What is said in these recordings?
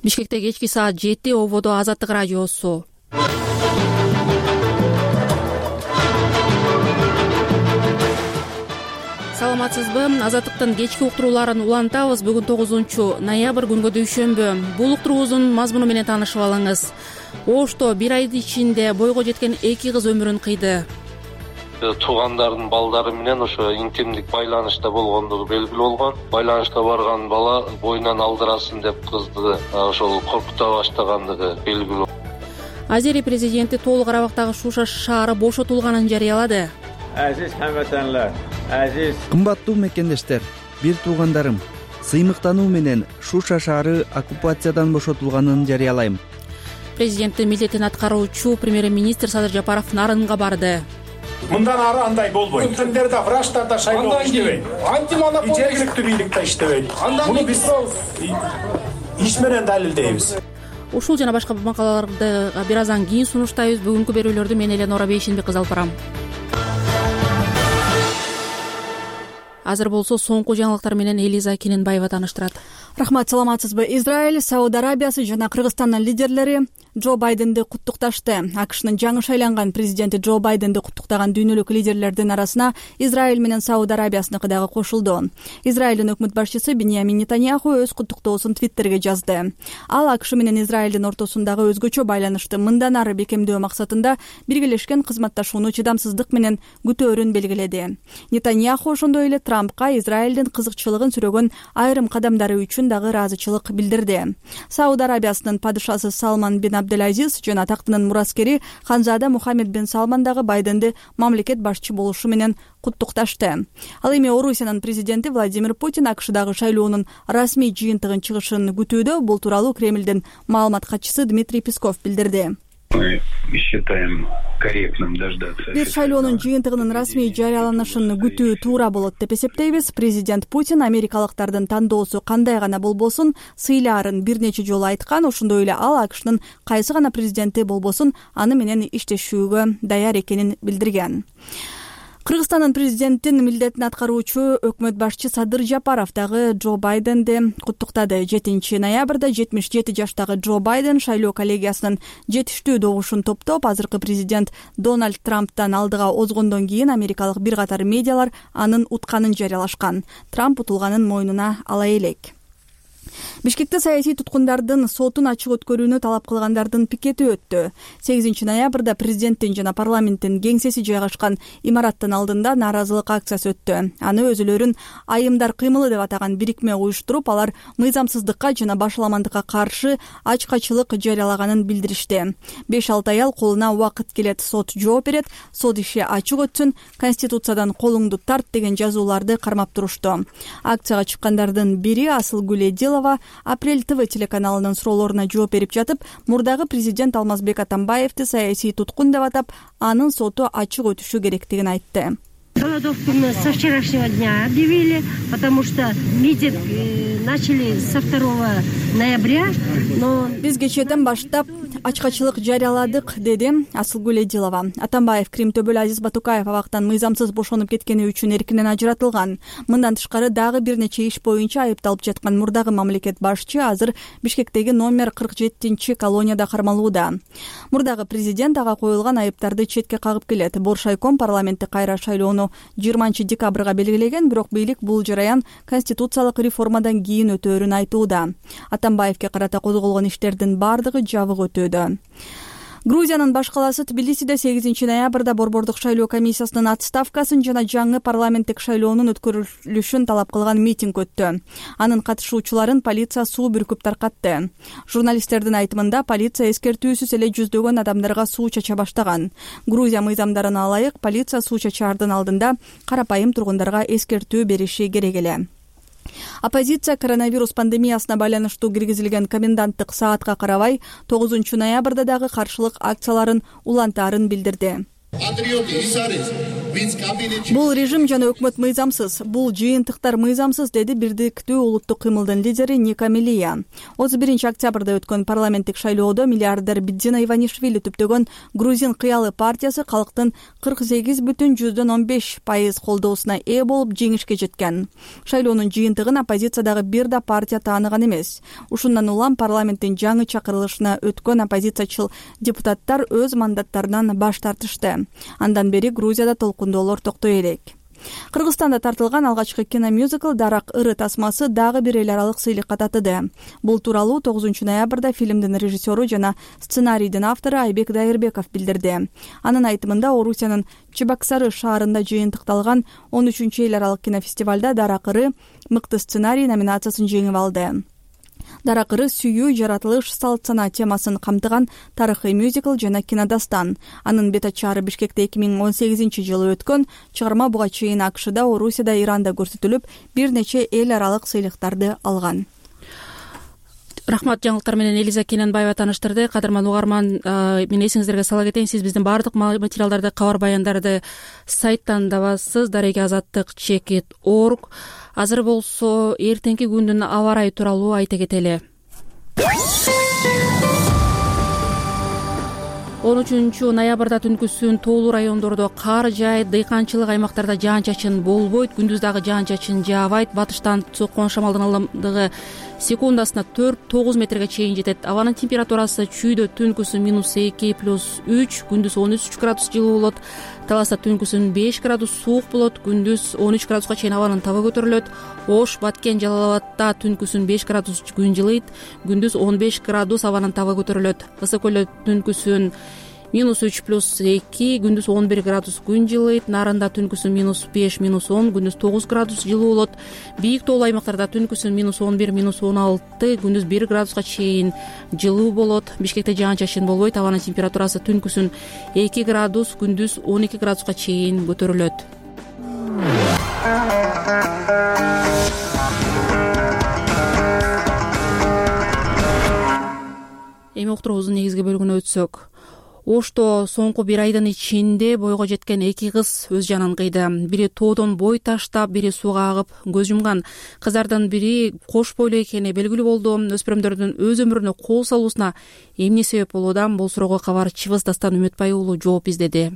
Бишкекте кечки саат 7 ободо Азаттык радиосу. Саламатсызбы? Азаттыктын кечки уктурууларын улантабыз. Бүгүн 9-ноябрь күнгө дүйшөмбү. Бул уктуруубуздун мазмуну менен таанышып алыңыз. Ошто бир айдын ичинде бойго жеткен 2 кыз өмүрүн кыйды. Туугандардын балдары менен ошо интимдик байланышта болгондугу белгилүү болгон. Байланышка барган бала боюнан алдырасын деп кызды ошол коркута баштагандыгы белгилүү. Азерия президенти толук Карабактагы Шуша шаары бошотулганын жарыялады. Азиз хамватанлар, азиз кымбаттуу мекендештер, бир туугандарым, сыймыктануу менен Шуша шаары оккупациядан бошотулганын жарыялайм. Президенттин милдетин аткаруучу премьер-министр Садыр Жапаров Нарынга барды. Мындан ары андай болбойт. Өткөндөрдө врачтарда шайлоо иштебейт. Жергиликтүү бийлик да иштебейт. Муну биз иш менен далилдейбиз. Ушул жана башка макалаларды бир аздан кийин сунуштайбыз. Бүгүнкү берүүлөрдү мен Эленора Бейшенбек кыз алып барам. Азыр болсо соңку жаңылыктар менен Элиза Кененбаева тааныштырат. Рахмат, саламатсызбы? Израиль, Сауд Арабиясы жана Кыргызстандын лидерлери Джо Байденди куттукташты. АКШнын жаңы шайланган президенти Джо Байденди куттуктаган дүйнөлүк лидерлердин арасына Израиль менен Сауд Арабиясыныкы дагы кошулду. Израилдин өкмөт башчысы Биньямин Нетаньяху өз куттуктоосун Твиттерге жазды. Ал АКШ менен Израилдин ортосундагы өзгөчө байланышты мындан ары бекемдөө максатында биргелешкен кызматташууну чыдамсыздык менен күтөөрүн белгиледи. Нетаньяху ошондой эле Трампка Израилдин кызыкчылыгын сүрөгөн айрым кадамдары үчүн дагы ыраазычылык билдирди. Сауд Арабиясынын падышасы Салман бин Абдул-Азиз жана тактынын мураскери Ханзада Мухаммед бин Салман дагы Байденди мамлекет башчы болушу менен куттукташты. Ал эми Орусиянын президенти Владимир Путин АКШдагы шайлоонун расмий жыйынтыгын чыгышын күтүүдө. Бул тууралуу Кремлдин маалымат катчысы Дмитрий Песков билдирди. Мы считаем корректным дождаться. Бир шайлоонун жыйынтыгынын расмий жарыяланышын күтүү туура болот деп эсептейбиз. Президент Путин америкалыктардын тандоосу кандай гана болбосун сыйлаарын бир нече жолу айткан. Ошондой эле ал АКШнын кайсы гана президенти болбосун аны менен иштешүүгө даяр экенин билдирген. Кыргызстандын президенттин милдетин аткаруучу өкмөт башчы Садыр Жапаров дагы Джо Байденди куттуктады. 7-ноябрда 77 жаштагы Джо Байден шайлоо коллегиясынын жетиштүү добушун топтоп, азыркы президент Дональд Трамптан алдыга озгондон кийин америкалык бир катар медиалар анын утканын жарыялашкан. Трамп утулганын мойнуна ала элек. Бишкекте саясий туткундардын сотун ачык өткөрүүнү талап кылгандардын пикети өттү. 8-ноябрда президенттин жана парламенттин кеңсеси жайгашкан имараттын алдында нааразылык акциясы өттү. Аны өзүлөрүн айымдар кыймылы деп атаган бирикме уюштуруп, алар мыйзамсыздыкка жана башаламандыкка каршы ачкачылык жарыялаганын билдиришти. 5-6 аял колуна убакыт келет, сот жооп берет, сот иши ачык өтсүн, конституциядан колуңду тарт деген жазууларды кармап турушту. Акцияга чыккандардын бири Асылгүл Эдилова Апрель ТВ телеканалынын суроолоруна жооп берип жатып, мурдагы президент Алмазбек Атамбаевди саясий туткун деп атап, анын соту ачык өтүшү керектигин айтты. Голодовку со вчерашнего дня объявили, потому что митинг начали со 2 ноября. Биз кечээден баштап ачкачылык жарыяладык, деди Асылгүл Эдилова. Атамбаев Крим Төбөл Азиз Батукаев абактан мыйзамсыз бошонуп кеткени үчүн эркинен ажыратылган. Мындан тышкары дагы бир нече иш боюнча айыпталып жаткан мурдагы мамлекет башчы азыр Бишкектеги номер 47 колонияда кармалууда. Мурдагы президент ага коюлган айыптарды четке кагып келет. Боршайком парламентти кайра шайлоону 20 декабрга белгилеген, бирок бийлик бул жараян конституциялык реформадан кийин өтөөрүн айтууда. Атамбаевге карата козголгон иштердин бардыгы жабык өтүүдө. Грузиянын баш калаасы Тбилисиде 8-ноябрда борбордук шайлоо комиссиясынын отставкасын жана жаңы парламенттик шайлоонун өткөрүлүшүн талап кылган митинг өттү. Анын катышуучуларын полиция суу бүркүп таркатты. Журналисттердин айтымында полиция эскертүүсүз эле жүздөгөн адамдарга суу чача баштаган. Грузия мыйзамдарына ылайык полиция суу чачаардын алдында карапайым тургундарга эскертүү бериши керек эле. Оппозиция коронавирус пандемиясына байланыштуу киргизилген коменданттык саатка карабай 9-ноябрда дагы каршылык акцияларын улантаарын билдирди. Бул режим жана өкмөт мыйзамсыз, бул жыйынтыктар мыйзамсыз, деди Бирдиктүү улуттук кыймылдын лидери Ника Мелия. 31 октябрда өткөн парламенттик шайлоодо миллиардер Бидзина Иванишвили түптөгөн грузин кыялы партиясы калктын 48,15% колдоосуна ээ болуп жеңишке жеткен. Шайлоонун жыйынтыгын оппозициядагы бир да партия тааныган эмес. Ушундан улам парламенттин жаңы чакырылышына өткөн оппозициячыл депутаттар өз мандаттарынан баш тартышты. Андан бери Грузияда толкундоолор токтой элек. Кыргызстанда тартылган алгачкы киномюзикл «Дарак ыры» тасмасы дагы бир эл аралык сыйлыкка татыды. Бул тууралуу 9 ноябрда фильмдин режиссеру жана сценарийдин автору Айбек Дайырбеков билдирди. Анын айтымында Орусиянын Чебоксары шаарында жыйынтыкталган 13 эл аралык кинофестивалда «Дарак ыры» мыкты сценарий номинациясын жеңип алды. «Дарак ыры» сүйүү, жаратылыш, салт сана темасын камтыган тарыхый мюзикл жана кинодастан. Анын бет ачары Бишкекте 2018-жылы өткөн, чыгарма буга чейин АКШда, Орусияда, Иранда көрсөтүлүп, бир нече эл аралык сыйлыктарды алган. Рахмат, жаңылыктар менен Элиза Кененбаева тааныштырды. Кадырман угарман, мен эсиңиздерге сала кетейин, сиз биздин баардык материалдарды, кабар баяндарды сайттан табасыз, daregeazаттыk.org. Азыр болсо эртеңки күндүн аба ырайы тууралуу айта кетели. 13 ноябрда түнкүсүн тоолуу райондордо кар жаайт, дыйканчылык аймактарда жаан-чачын болбойт, күндүз дагы жаан-чачын жаабайт. Батыштан соккон шамалдын ылдымдыгы секундасына 4-9 метрге чейин жетет. Абанын температурасы чүйдө түнкүсүн -2+3, күндүз 13 градус жылуу болот. Таласта түнкүсүн 5 градус суук болот, күндүз 13 градуска чейин абанын табы көтөрүлөт. Ош, Баткен, Жалал-Абадта түнкүсүн 5 градус күн жылыйт, күндүз 15 градус абанын табы көтөрүлөт. Ысык көлдө түнкүсүн -3+2, күндүз 11 градус күн жылыйт. Нарында түнкүсүн -5-10, күндүз 9 градус жылуу болот. Бийик тоолуу аймактарда түнкүсүн -11-16, күндүз 1 градуска чейин жылуу болот. Бишкекте жаан-чачын болбойт, абанын температурасы түнкүсүн 2 градус, күндүз 12 градуска чейин көтөрүлөт. Эми уктуруубуздун негизги бөлүгүнө өтсөк. Ошто соңку бир айдын ичинде бойго жеткен 2 кыз өз жанын кыйды. Бири тоодон бой таштап, бири сууга агып көз жумган. Кыздардын бири кош бойлуу экени белгилүү болду. Өспүрүмдөрдүн өз өмүрүнө кол салуусуна эмне себеп болууда? Бул суроого кабарчыбыз Дастан Үмүтбай уулу жооп издеди.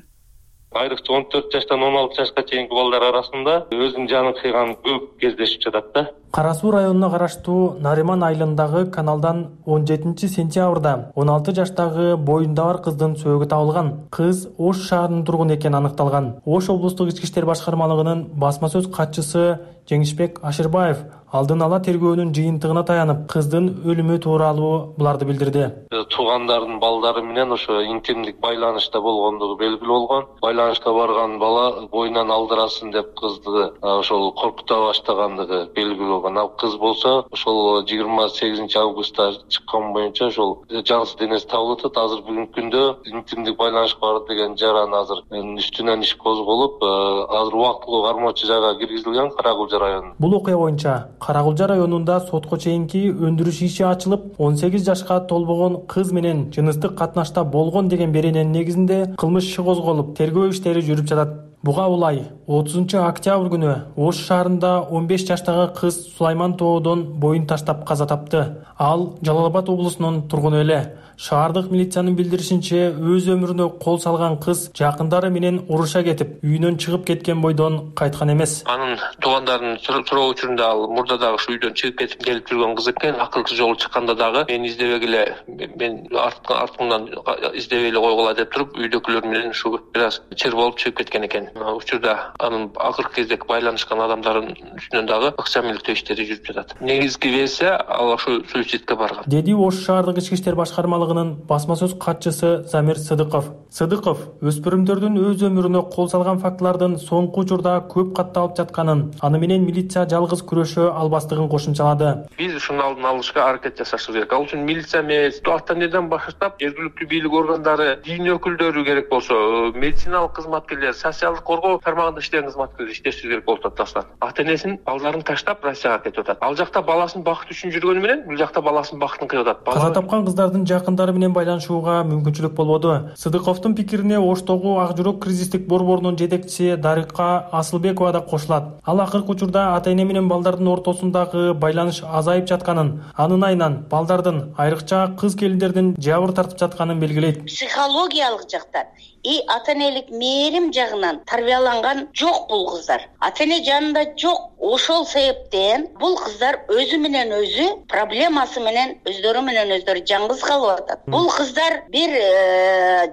Айрыкча 14 жаштан 16 жашка чейинки балдар арасында өзүнүн жанын кыйган көп кездешип жатат да. Кара Суу районуна караштуу Нариман айылындагы каналдан 17 сентябрда 16 жаштагы боюнда бар кыздын сөөгү табылган. Кыз Ош шаарынын тургуну экени аныкталган. Ош облустук ички иштер башкармалыгынын басма сөз катчысы Жеңишбек Ашырбаев алдын ала тергөөнүн жыйынтыгына таянып, кыздын өлүмү тууралуу буларды билдирди. Туугандардын балдары менен ошо интимдик байланышта болгондугу белгилүү болгон. Байланышка барган бала боюнан алдырасын деп кызды ошол коркута баштагандыгы белгилүү болгон. Ал кыз болсо ошол 28 августта чыккан боюнча ошол жансыз денеси табылып атат. Азыр бүгүнкү күндө интимдик байланышка барды деген жаран азыр үстүнөн иш козголуп, азыр убактылуу кармоочу жайга киргизилген Каракулжа районунда. Бул окуя боюнча Каракулжа районунда сотко чейинки өндүрүш иши ачылып, 18 жашка толбогон кыз менен жыныстык катнашта болгон деген берененин негизинде кылмыш иши козголуп, тергөө иштери жүрүп жатат. Буга улай 30 октябрь күнү Ош шаарында 15 жаштагы кыз Сулайман тоодон боюн таштап каза тапты. Ал Жалал-Абад облусунун тургуну эле. Шаардык милициянын билдиришинче, өз өмүрүнө кол салган кыз жакындары менен уруша кетип, үйүнөн чыгып кеткен бойдон кайткан эмес. Анын туугандарынын суроо учурунда ал мурда дагы ушу үйдөн чыгып кетип келип жүргөн кыз экен. Акылсыз жолу чыкканда дагы мен издебегиле, мен артыңдан издебей эле койгула деп туруп, үйдөгүлөр менен ушу бир аз чыр болуп чыгып кеткен экен. Учурда анын акыркы кездеги байланышкан адамдардын үстүнөн дагы акча миликтөө иштери жүрүп жатат. Негизги версия ал ушу суицидке барган, деди Ош шаардык ички иштер башкармалыгынын басма сөз катчысы Замир Сыдыков. Сыдыков өспүрүмдөрдүн өз өмүрүнө кол салган фактылардын соңку учурда көп катталып жатканын, аны менен милиция жалгыз күрөшө албастыгын кошумчалады. Биз ушуну алдын алышка аракет жасашыбыз керек. Ал үчүн милиция эмес, автоөнерден баштап жергиликтүү бийлик органдары, дин өкүлдөрү керек болсо, медициналык кызматкерлер, социалдык укуктарды коргоо тармагында иштеген кызматкерлер иштеши керек болуп атат даста. Ата-энесин балдарын таштап Россияга кетип атат. Ал жакта баласын бакыт үчүн жүргөнү менен бул жакта баласын бакытын кыйып атат. Каза тапкан кыздардын жакындары менен байланышууга мүмкүнчүлүк болбоду. Сыдыковдун пикирине Оштогу Ак жүрөк кризистик борборунун жетекчиси Дарика Асылбекова да кошулат. Ал акыркы учурда ата-эне менен балдардын ортосундагы байланыш азайып жатканын, анын айынан балдардын, айрыкча кыз келиндердин жабыр тартып жатканын белгилейт. Психологиялык жактан ата-энелик мээрим жагынан тарбияланган жок бул кыздар. Ата-эне жанында жок. Ошол себептен бул кыздар өзү менен өзү проблемасы менен өздөрү жаңгыз калып атат. Бул кыздар бир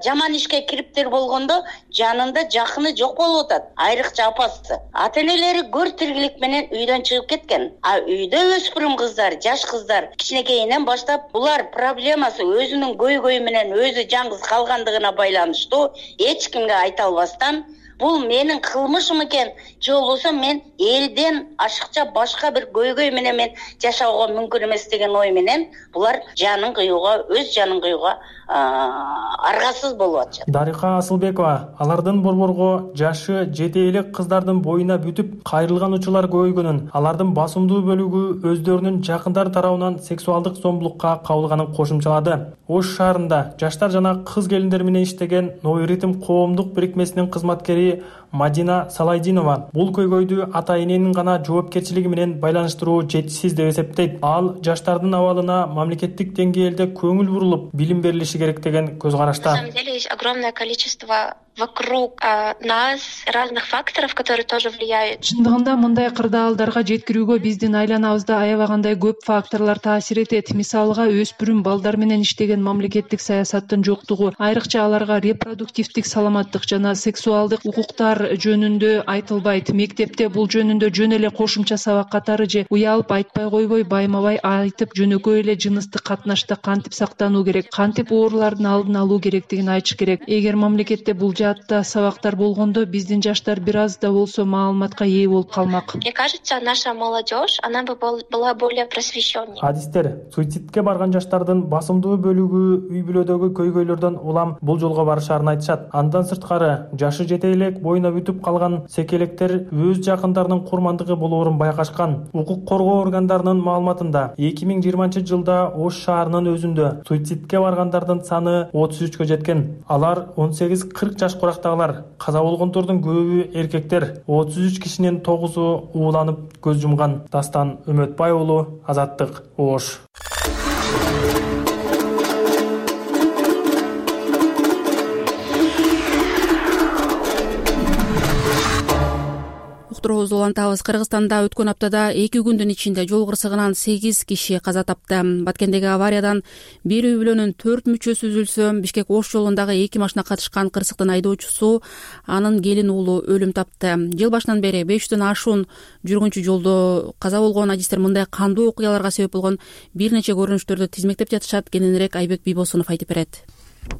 жаман ишке кириптир болгондо жанында жакыны жок болуп атат. Айрыкча апасы. Ата-энелери көр тиргилик менен үйдөн чыгып кеткен. Үйдө өспүрүм кыздар, жаш кыздар кичинекейинен баштап булар проблемасы өзүнүн көйгөйү менен өзү жаңгыз калгандыгына байланыштуу эч кимге айта албастан бул менин кылмышым экен, же болбосо мен элден ашыкча башка бир көйгөй менен мен жашоого мүмкүн эмес деген ой менен булар жанын кыюуга, өз жанын кыюуга аргасыз болуп атышат. Дарика Асылбекова алардын борборго жашы жете элек кыздардын боюна бүтүп кайрылган учурлар көбөйгөнүн, алардын басымдуу бөлүгү өздөрүнүн жакындар тарабынан сексуалдык зомбулукка кабылганын кошумчалады. Ош шаарында жаштар жана кыз келиндер менен иштеген Новый ритм коомдук бирикмесинин кызматкери Мадина Салайдинова бул көйгөйдү ата-эненин гана жоопкерчилиги менен байланыштыруу жетишсиз деп эсептейт. Ал жаштардын абалына мамлекеттик деңгээлде көңүл бурулуп, билим берилиши керек деген көз карашта. На самом деле есть огромное количество вокруг нас разных факторов, которые тоже влияют. Чындыгында мындай кырдаалдарга жеткирүүгө биздин айланабызда аябагандай көп факторлор таасир этет. Мисалга, өспүрүм балдар менен иштеген мамлекеттик саясаттын жоктугу, айрыкча аларга репродуктивдик саламаттык жана сексуалдык укуктар жөнүндө айтылбайт. Мектепте бул жөнүндө жөн эле кошумча сабак катары же уялып айтпай койбой, байма-бай айтып жөнөкөй эле жыныстык катнашта кантип сактануу керек, кантип оорулардын алдын алуу керектигин айтыш керек. Эгер мамлекетте бул жаатта сабактар болгондо биздин жаштар бир аз да болсо маалыматка ээ болуп калмак. Мне кажется, наша молодежь, она бы была более просвещеннее. Адистер, суицидке барган жаштардын басымдуу бөлүгү үй бүлөдөгү көйгөйлөрдөн улам бул жолго барышарын айтышат. Андан сырткары, жашы жете элек боюна бүтүп калган секелектер өз жакындарынын курмандыгы болоорун байкашкан. Укук коргоо органдарынын маалыматында 2020-жылда Ош шаарынын өзүндө суицидке баргандардын саны 33-кө жеткен. Алар 18-40 жаш курактагылар. Каза болгондордун көбү эркектер. 33 кишинин 9-у ууланып көз жумган. Дастан Үмөтбай уулу, Азаттык, Ош. Уктуруубузду улантабыз. Кыргызстанда өткөн аптада 2 күндүн ичинде жол кырсыгынан 8 киши каза тапты. Баткендеги авариядан бир үй бүлөнүн 4 мүчөсү үзүлсө, Бишкек Ош жолундагы 2 машина катышкан кырсыктын айдоочусу анын келин уулу өлүм тапты. Жыл башынан бери 500дөн ашуун жүргүнчү жолдо каза болгон. Адистер мындай кандуу окуяларга себеп болгон бир нече көрүнүштөрдү тизмектеп жатышат. Кененирээк Айбек Бийбосунов айтып берет.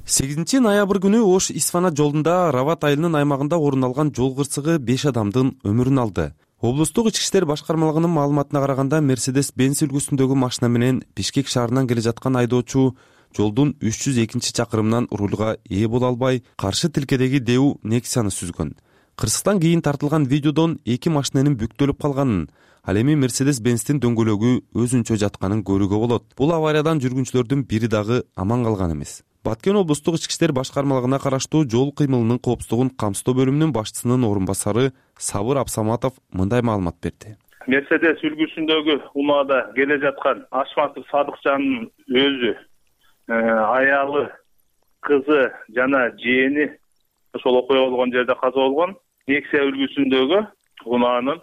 8 ноябрь күнү Ош Исфана жолунда Рават айылынын аймагында орун алган жол кырсыгы 5 адамдын өмүрүн алды. Облустук ички иштер башкармалыгынын маалыматына караганда Mercedes-Benz үлгүсүндөгү машина менен Бишкек шаарынан келе жаткан айдоочу жолдун 302-чакырымынан рулга ээ боло албай, каршы тилкедеги Дэу Nexia-ны сүзгөн. Кырсыктан кийин тартылган видеодон 2 машинанын бүктөлүп калганын, ал эми Mercedes-Benz'тин дөңгөлөгү өзүнчө жатканын көрүүгө болот. Бул авариядан жүргүнчүлөрдүн бири дагы аман калган эмес. Баткен облустук ички иштер башкармалыгына караштуу жол кыймылынын коопсуздугун камсыздоо бөлүмүнүн башчысынын орун басары Сабыр Абсаматов мындай маалымат берди. Мерседес үлгүсүндөгү унаада келе жаткан Ашматов Садыкжандын өзү, аялы, кызы жана жээни ошол окуя болгон жерде каза болгон. Nexia үлгүсүндөгү унаанын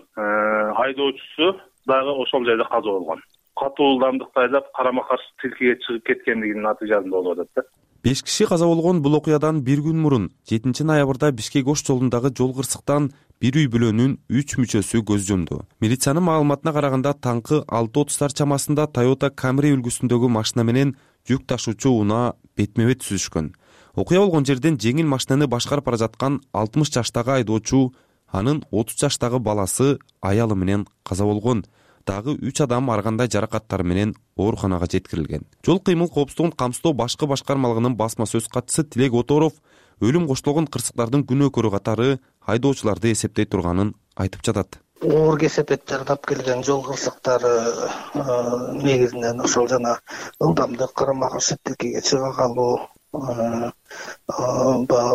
айдоочусу дагы ошол жерде каза болгон. Катуу ылдамдыкта айдап карама каршы тилкеге чыгып кеткендигинин натыйжасында болуп атат. 5 киши каза болгон бул окуядан бир күн мурун 7 ноябрда Бишкек Ош жолундагы жол кырсыктан бир үй бүлөнүн 3 мүчөсү көз жумду. Милициянын маалыматына караганда таңкы 6:30 чамасында Toyota Camry үлгүсүндөгү машина менен жүк ташуучу унаа бетме-бет сүзүшкөн. Окуя болгон жерден жеңил машинаны башкарып бара жаткан 60 жаштагы айдоочу, анын 30 жаштагы баласы, аялы менен каза болгон. Дагы 3 адам ар кандай жаракаттар менен ооруканага жеткирилген. Жол кыймыл коопсуздугун камсыздоо башкармалыгынын басма сөз катчысы Тилек Оторов өлүм коштолгон кырсыктардын күнөөкөрү катары айдоочуларды эсептей турганын айтып жатат. Оор кесепет жардап келген жол кырсыктары негизинен ошол жана ылдамдык, карама-каршылыкке чыга калуу,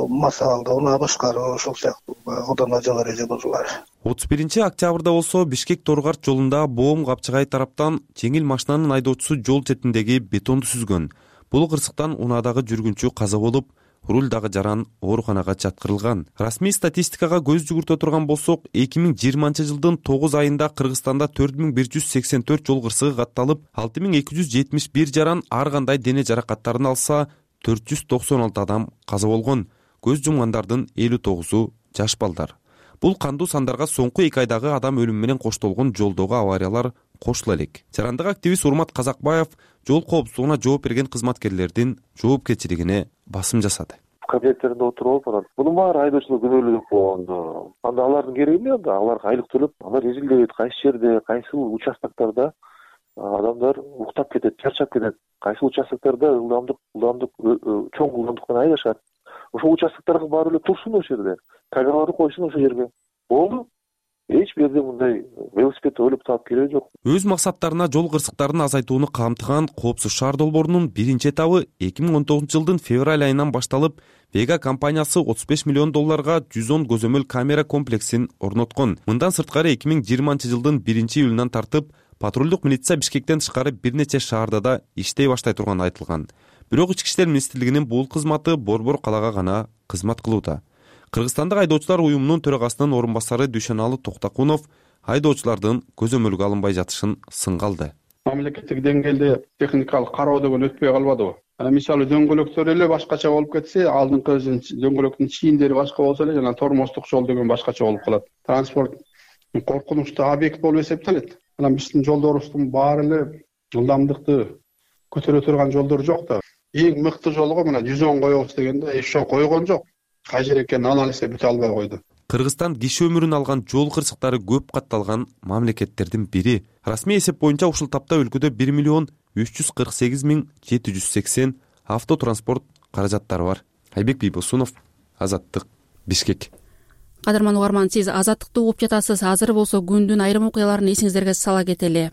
массаларды унаа башкаруу, ошол сыяктуу одан да жогору эже-божулар. 31-октябрда болсо Бишкек-Торгарт жолунда Боом Капчыгай тараптан жеңил машинанын айдоочусу жол четиндеги бетонду сүзгөн. Бул кырсыктан унаадагы жүргүнчү каза болуп, руль дагы жаран ооруканага жаткырылган. Расмий статистикага көз жүгүртө турган болсок, 2020-жылдын 9 айында Кыргызстанда 4184 жол кырсыгы катталып, 6271 жаран ар кандай дене жаракаттарын алса, 496 адам каза болгон. Көз жумгандардын 59-у жаш балдар. Бул кандуу сандарга соңку 2 айдагы адам өлүмү менен коштолгон жолдогу авариялар кошула элек. Жарандык активист Урмат Казакбаев жол коопсуздугуна жооп берген кызматкерлердин жоопкерчилигине басым жасады. Кабинеттеринде отуруп алып, мунун баары айдоочулар күнөөлүү болгондо, анда алардын кереги эмне? Анда аларга айлык төлөп, алар изилдейт, кайсы жерде, кайсыл участоктарда адамдар уктап кетет, чарчап кетет, кайсыл участоктарда ылдамдык чоң ылдамдык менен айдашат. Ошол участокторго барып эле турсун ошол жерде. Камераларды койсун ошол жерге. Болду. Эч бир жерде мындай велосипед ойлоп таап кереги жок. Өз максаттарына жол кырсыктарын азайтууну камтыган Коопсуз шаар долбоорунун биринчи этабы 2019-жылдын февраль айынан башталып, Vega компаниясы $35 миллион 110 көзөмөл камера комплексин орноткон. Мындан сырткары 2020-жылдын 1-июлунан тартып, патрулдук милиция Бишкектен тышкары бир нече шаарда да иштей баштай турганы айтылган. Бирок Ички иштер министрлигинин бул кызматы Борбор калаага гана кызмат кылууда. Кыргызстандык айдоочулар уюмунун төрагасынын орун басары Дүйшөналы Токтакунов айдоочулардын көзөмөлгө алынбай жатышын сынга алды. Мамлекеттик деңгээлде техникалык кароо деген өтпөй калбадыбы? Мисалы дөңгөлөктөр эле башкача болуп кетсе, алдыңкы дөңгөлөктүн чийиндери башка болсо эле, жана тормоздук жол деген башкача болуп калат. Транспорт коркунучтуу объект болуп эсептелет. Анан биздин жолдорубуздун баары эле ылдамдыкты көтөрө турган жолдор жок да. Эң мыкты жолго мына 110 коебуз дегенде ошо койгон жок. Кайжер экенин анализ бүтө албай койду. Кыргызстан киши өмүрүн алган жол кырсыктары көп катталган мамлекеттердин бири. Расмий эсеп боюнча ушул тапта өлкөдө 1,348,780 автотранспорт каражаттары бар. Айбек Бийбосунов, Азаттык, Бишкек. Кадырман угарман, сиз Азаттыкты угуп жатасыз. Азыр болсо күндүн айрым окуяларын эсиңиздерге сала кетели.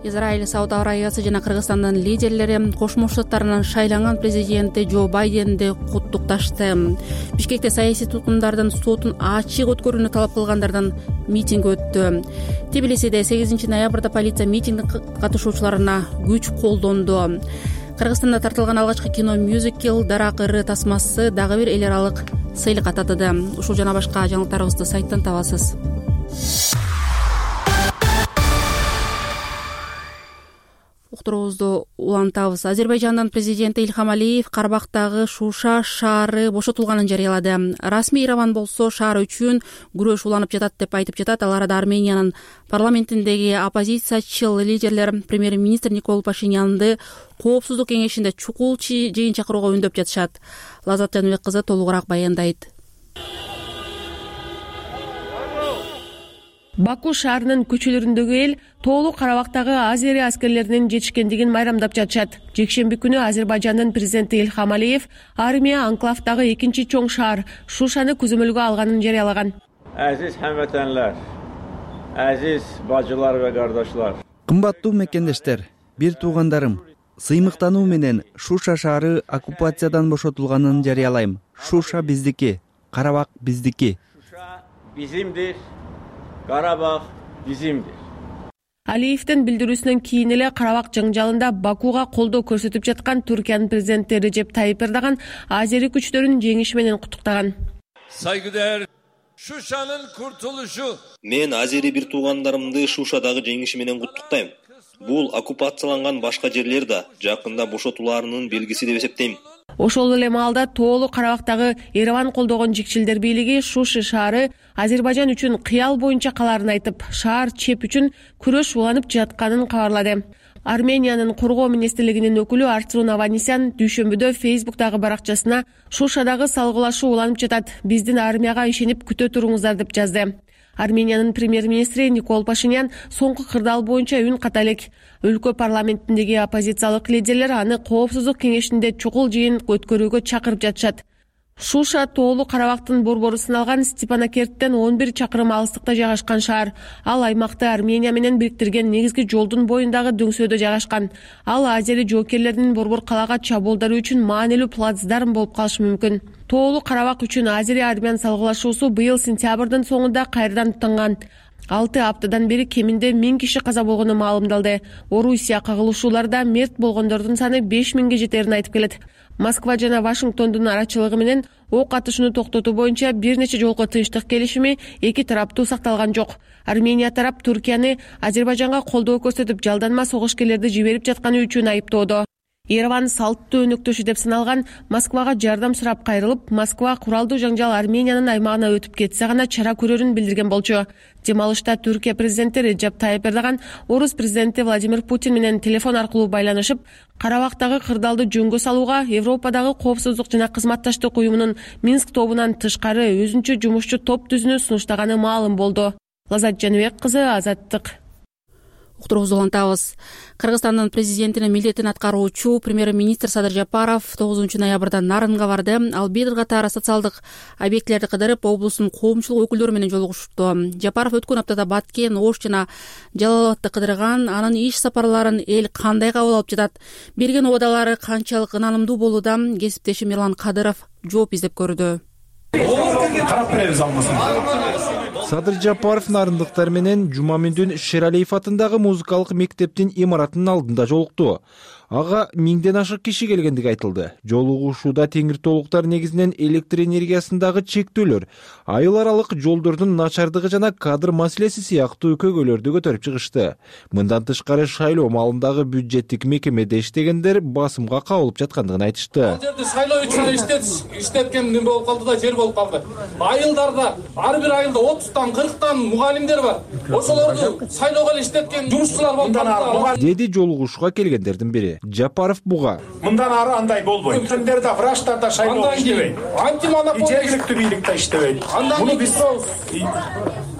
Израиль, Сауд Арабиясы жана Кыргызстандын лидерлери Кошмо Штаттарынын шайланган президенти Джо Байденди куттукташты. Бишкекте саясий туткундардын сотун ачык өткөрүүнү талап кылгандардан митинг өттү. Тбилисиде 8 ноябрда полиция митингдин катышуучуларына күч колдонду. Кыргызстанда тартылган алгачкы кино мюзикл Дарак ыры тасмасы дагы бир эл аралык сыйлыкка татыды. Ушул жана башка жаңылыктарыбызды сайттан табасыз. Уктуруубузду улантабыз. Азербайжандын президенти Ильхам Алиев Карабактагы Шуша шаары бошотулганын жарыялады. Расмий Ереван болсо шаар үчүн күрөш уланып жатат деп айтып жатат. Ал арада Армениянын парламентиндеги оппозициячыл лидерлер премьер-министр Никол Пашинянды коопсуздук кеңешинде чукул жыйын чакырууга үндөп жатышат. Лазат Жаныбек кызы толугураак баяндайт. Баку шаарынын көчөлөрүндөгү эл тоолуу Карабактагы Азерия аскерлеринин жетишкендигин майрамдап жатышат. Жекшемби күнү Азербайжандын президенти Ильхам Алиев армия анклавдагы экинчи чоң шаар Шушаны көзөмөлгө алганын жарыялаган. Азиз хамватанлар, азиз бажылар ва кардашлар. Кымбаттуу мекендештер, бир туугандарым, сыймыктануу менен Шуша шаары оккупациядан бошотулганын жарыялайм. Шуша биздики, Карабак биздики. Шуша bizimdir. Карабак bizimdir. Алиевдин билдирүүсүнөн кийин эле Карабак жаңжалында Бакуга колдоо көрсөтүп жаткан Түркиянын президенти Режеп Тайип Эрдоган азери күчтөрүн жеңиши менен куттуктаган. Saygıdeğer Şuşa'nın kurtuluşu. Мен азери бир туугандарымды Шушадагы жеңиши менен куттуктайм. Бул оккупацияланган башка жерлер да жакында бошотуларынын белгиси деп эсептейм. Ошол эле маалда тоолуу Карабактагы Ереван колдогон жикчилдер бийлиги Шуши шаары Азербайжан үчүн кыял боюнча калаарын айтып, шаар чеп үчүн күрөш уланып жатканын кабарлады. Армениянын коргоо министрлигинин өкүлү Арцрун Аванесян дүйшөмбүдө Фейсбуктагы баракчасына Шушадагы салгылашуу уланып жатат, биздин армияга ишенип күтө туруңуздар деп жазды. Армениянын премьер-министри Никол Пашинян соңку кырдаал боюнча үн ката элек. Өлкө парламентиндеги оппозициялык лидерлер аны коопсуздук кеңешинде чукул жыйын өткөрүүгө чакырып жатышат. Шуша тоолуу Карабактын борбору сыналган Степанакерттен 11 чакырым алыстыкта жайгашкан шаар. Ал аймакты Армения менен бириктирген негизги жолдун боюндагы дөңсөөдө жайгашкан. Ал азери жоокерлердин борбор калаага чабуулдары үчүн маанилүү плацдарм болуп калышы мүмкүн. Тоолуу Карабак үчүн азери армян салгылашуусу быйыл сентябрдын соңунда кайрадан тынган. 6 аптадан бери кеминде 1000 киши каза болгону маалымдалды. Орусия кагылышууларда мерт болгондордун саны 5000ге жетерин айтып келет. Москва жана Вашингтондун арачылыгы менен ок атышууну токтотуу боюнча бир нече жолку тынчтык келишими эки тараптуу сакталган жок. Армения тарап Туркияны Азербайжанга колдоо көрсөтүп жалданма согушкерлерди жиберип жатканы үчүн айыптоодо. Ереван салттуу өнөктөшү деп саналган Москвага жардам сурап кайрылып, Москва куралдуу жаңжал Армениянын аймагына өтүп кетсе гана чара көрөрүн билдирген болчу. Дем алышта Түркия президенти Реджеп Тайып Эрдоган Орус президенти Владимир Путин менен телефон аркылуу байланышып, Карабактагы кырдаалды жөнгө салууга Европадагы коопсуздук жана кызматташтык уюмунун Минск тобунан тышкары өзүнчө жумушчу топ түзүүнү сунуштаганы маалым болду. Лазат Жаныбек кызы, Азаттык. Уктуруубузду улантабыз. Кыргызстандын президентинин милдетин аткаруучу премьер-министр Садыр Жапаров 9 ноябрда Нарынга барды. Ал бир катар социалдык объектилерди кыдырып, облустун коомчулук өкүлдөрү менен жолугушту. Жапаров өткөн аптада Баткен, Ош жана Жалал Абадты кыдырган. Анын иш сапарларын эл кандай кабыл алып жатат? Берген убадалары канчалык ынанымдуу болууда? Кесиптешим Мирлан Кадыров жооп издеп көрдү. Карап беребиз алмасын. Садыр Жапаров нарындыктар менен Жумаминдин Шералиев атындагы музыкалык мектептин имаратынын алдында жолукту. Ага 1000ден ашык киши келгендиги айтылды. Жолугушууда теңиртоолуктар негизинен электр энергиясындагы чектөөлөр, айыл аралык жолдордун начардыгы жана кадр маселеси сыяктуу көйгөйлөрдү көтөрүп чыгышты. Мындан тышкары шайлоо маалындагы бюджеттик мекемеде иштегендер басымга кабылып жаткандыгын айтышты. Ал жерде шайлоо үчүн иштеткен неме болуп калды да, жер болуп калды. Айылдарда ар бир айылда 30тан 40тан мугалимдер бар. Ошолорду шайлоого эле иштеткен жумушчулар болуп калды, деди жолугушууга келгендердин бири. Жапаров буга. Мындан ары андай болбойт. Өткөндөрдө врачтарда шайлоо иштебейт. Жергиликтүү бийликте иштебейт. Муну биз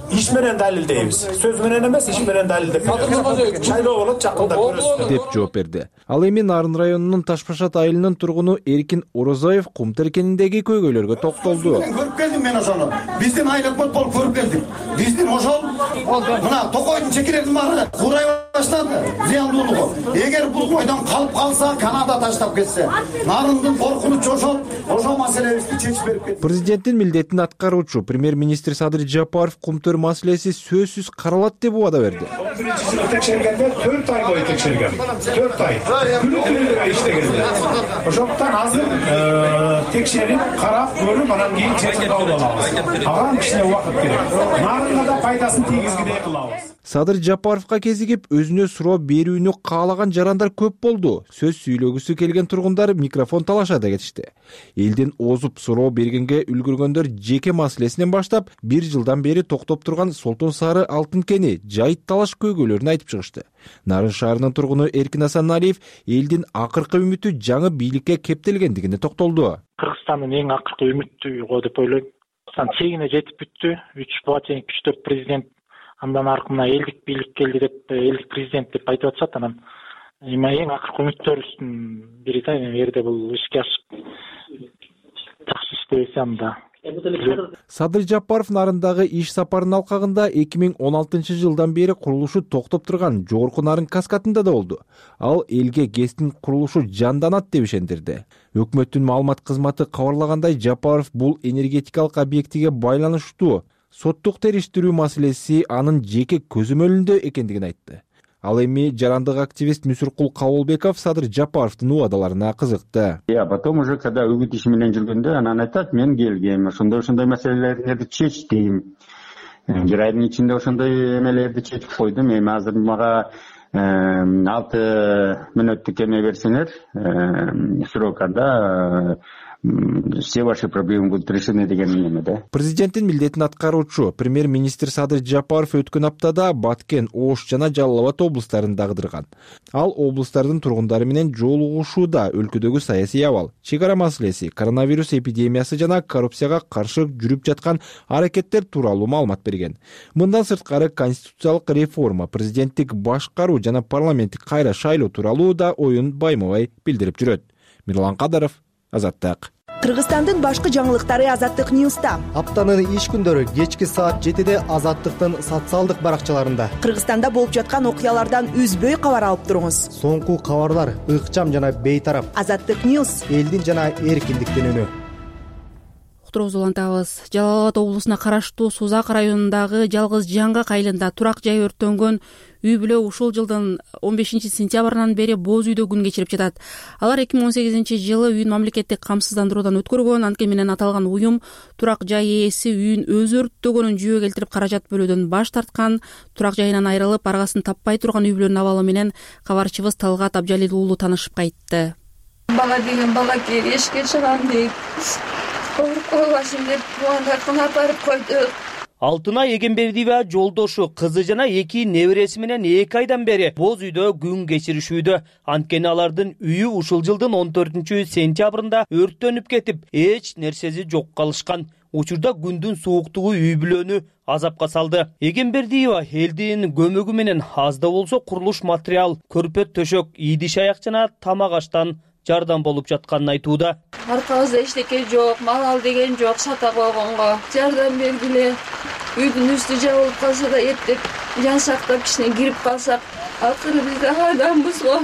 иш менен далилдейбиз. Сөз менен эмес, иш менен далилдеп беребиз. Шайлоо болот, жакында көрөсүз деп жооп берди. Ал эми Нарын районунун Ташпашат айылынын тургуну Эркин Орозоев кум теркениндеги көйгөйлөргө токтолду. Көрүп келдим мен ошону. Биздин айыл өкмөт болуп көрүп келдим. Биздин ошол мына Токойдун чекерердин баары курай баштады. Зыяндуулугу. Эгер бул бойдон калып калса, Канада таштап кетсе, Нарындын коркунучу ошол маселебизди чечип берип кетти. Президенттин милдетин аткаруучу премьер-министр Садыр Жапаров кумтөр маселеси сөзсүз каралат деп убада берди. Текшергенде 4 ай бою текшерген. 4 ай. Күнү-түнү иштегенде. Ошондуктан азыр текшерип, карап, көрүп, анан кийин чечим кабыл алабыз. Ага кичине убакыт керек. Нарынга да пайдасын тийгизгидей кылабыз. Садыр Жапаровго кезигип өзүнө суроо берүүнү каалаган жарандар көп болду. Сөз сүйлөгүсү келген тургундар микрофон талашада кетишти. Элдин озуп суроо бергенге үлгүргөндөр жеке маселесинен баштап, 1 жылдан бери токтоп турган Солтон Сары алтын кени, жайыт талаш көйгөйлөрүн айтып чыгышты. Нарын шаарынын тургуну Эркин Асаналиев элдин акыркы үмүтү жаңы бийликке кептелгендигине токтолду. Кыргызстандын эң акыркы үмүтү го деп ойлойм. Чегине жетип бүттү. 3 буга чейин күчтөп президент, андан аркына элдик бийлик келди деп, элдик президент деп айтып атышат. Анан эң акыркы үмүттөрүбүздүн бири да, эрде бул ишке ашып жакшы иштебесе анда. Садыр Жапаров Нарындагы иш сапарынын алкагында 2016 жылдан бери курулушу токтоп турган Жогорку Нарын каскадында да болду. Ал элге ГЭСтин курулушу жанданат деп ишендирди. Өкмөттүн маалымат кызматы кабарлагандай, Жапаров бул энергетикалык объектиге байланыштуу соттук териштирүү маселеси анын жеке көзөмөлүндө экендигин айтты. Ал эми жарандык активист Мүсүркул Кабылбеков Садыр Жапаровдун убадаларына кызыкты. Потом уже когда үгүт иши менен жүргөндө, анан айтат, мен келгем, ошондой маселелерди чечтим. Бир айдын ичинде ошондой эмелерди чечип койдум. Эми азыр мага 6 мүнөттүк эме берсеңер, срокада все ваши проблемы будут решены деген эмеде. Президенттин милдетин аткаруучу премьер-министр Садыр Жапаров өткөн аптада Баткен, Ош жана Жалал Абад облустарында кыдырган. Ал облустардын тургундары менен жолугушууда өлкөдөгү саясий абал, чек ара маселеси, коронавирус эпидемиясы жана коррупцияга каршы жүрүп жаткан аракеттер тууралуу маалымат берген. Мындан сырткары конституциялык реформа, президенттик башкаруу жана парламенттик кайра шайлоо тууралуу да оюн байма-бай билдирип жүрөт. Мирлан Кадыров, Азаттык. Кыргызстандын башкы жаңылыктары Азаттык Ньюста. Аптанын иш күндөрү кечки саат 7-де Азаттыктын социалдык баракчаларында. Кыргызстанда болуп жаткан окуялардан үзбөй кабар алып туруңуз. Соңку кабарлар ыкчам жана бейтарап. Азаттык Ньюс, элдин жана эркиндиктин үнү. Уктуруубузду улантабыз. Жалал Абад облусуна караштуу Сузак районундагы Жалгыз Жаңгак айылында турак жай өрттөнгөн үй бүлө ушул жылдын 15-сентябрынан бери боз үйдө күн кечирип жатат. Алар 2018-жылы үйүн мамлекеттик камсыздандыруудан өткөргөн, анткени менен аталган уюм турак жай ээси үйүн өзү өрттөгөнүн жүйө келтирип каражат бөлүүдөн баш тарткан. Турак жайынан айрылып, аргасын таппай турган үй бүлөнүн абалы менен кабарчыбыз Талгат Абжалил уулу таанышып кайтты. Бала деген балакей эшикке чыгам дейт. Койбашым деп туугандардын апарып койдук. Алтынай Эгембердиева жолдошу кызы жана 2 небереси менен 2 айдан бери боз үйдө күн кечиришүүдө. Анткени алардын үйү ушул жылдын 14-сентябрында өрттөнүп кетип, эч нерсеси жок калышкан. Учурда күндүн сууктугу үй бүлөнү азапка салды. Эгембердиева элдин көмөгү менен аз да болсо курулуш материал, көрпө төшөк, идиш аяк жана тамак аштан жардам болуп жатканын айтууда. Аркабызда эчтеке жок, мал деген жок, сата койгонго. Жардам бергиле. Үйдүн үстү жабылып калса да эптеп, жан сактап кичине кирип калсак, акыры биз да адамбыз го.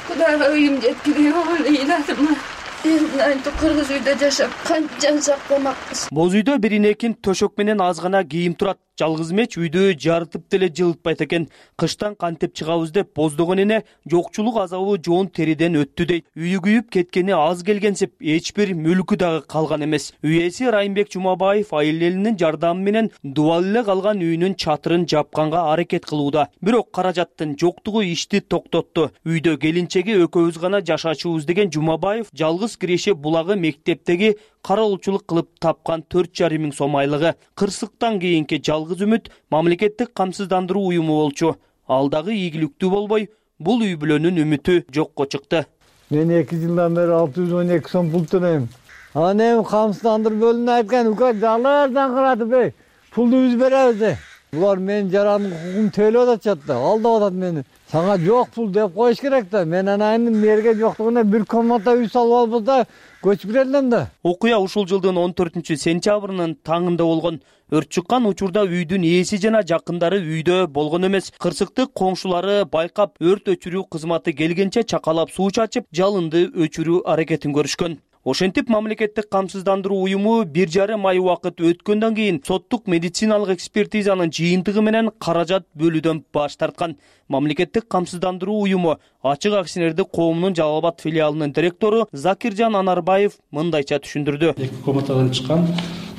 Кудайга үйүм жеткирип деп ыйладым. Кыргыз үйдө жашап, канча жан сактамакпыз. Боз үйдө биринекин төшөк менен аз гана кийим турат. Жалгыз меч үйдү жарытып деле жылытпайт экен. Кыштан кантип чыгабыз деп боздогон эне жокчулук азабы жоон териден өттү дейт. Үйү күйүп кеткени аз келгенсип, эч бир мүлкү дагы калган эмес. Үй ээси Райымбек Жумабаев айыл элинин жардамы менен дубал эле калган үйүнүн чатырын жапканга аракет кылууда. Бирок каражаттын жоктугу ишти токтотту. Үйдө келинчеги экөөбүз гана жашачубуз деген Жумабаев жалгыз Киреше булагы мектептеги кароолчулук кылып тапкан 4,5 миң сом айлыгы. Кырсыктан кийинки жалгыз үмүт мамлекеттик камсыздандыруу уюму болчу. Ал дагы ийгиликтүү болбой, бул үй бүлөнүн үмүтү жокко чыкты. Мен 2 жылдан бери 612 сом пул төлөйм. Анан эми камсыздандыруу бөлүмүнө айткан, "Ука жалаардан кыратып, пулду биз беребиз." Булар менин жарандын укугун төлөп атышат да, алдап атат мени. Сага жок пул деп коюш керек да. Мен анайын мерге жоктугуна бир комната үй салып албыз да, көчүп келдим да. Окуя ушул жылдын 14-сентябрынын таңында болгон. Өрт чыккан учурда үйдүн ээси жана жакындары үйдө болгон эмес. Кырсыктык коңшулары байкап, өрт өчүрүү кызматы келгенче чакалап суу чачып, жалынды өчүрүү аракетин көрүшкөн. Ошентип мамлекеттик камсыздандыруу уюму 1,5 ай убакыт өткөндөн кийин соттук медициналык экспертизанын жыйынтыгы менен каражат бөлүүдөн баш тарткан. Мамлекеттик камсыздандыруу уюму Ачык акционердик коомунун Жалал Абад филиалынын директору Закиржан Анарбаев мындайча түшүндүрдү. 2 комнатадан чыккан,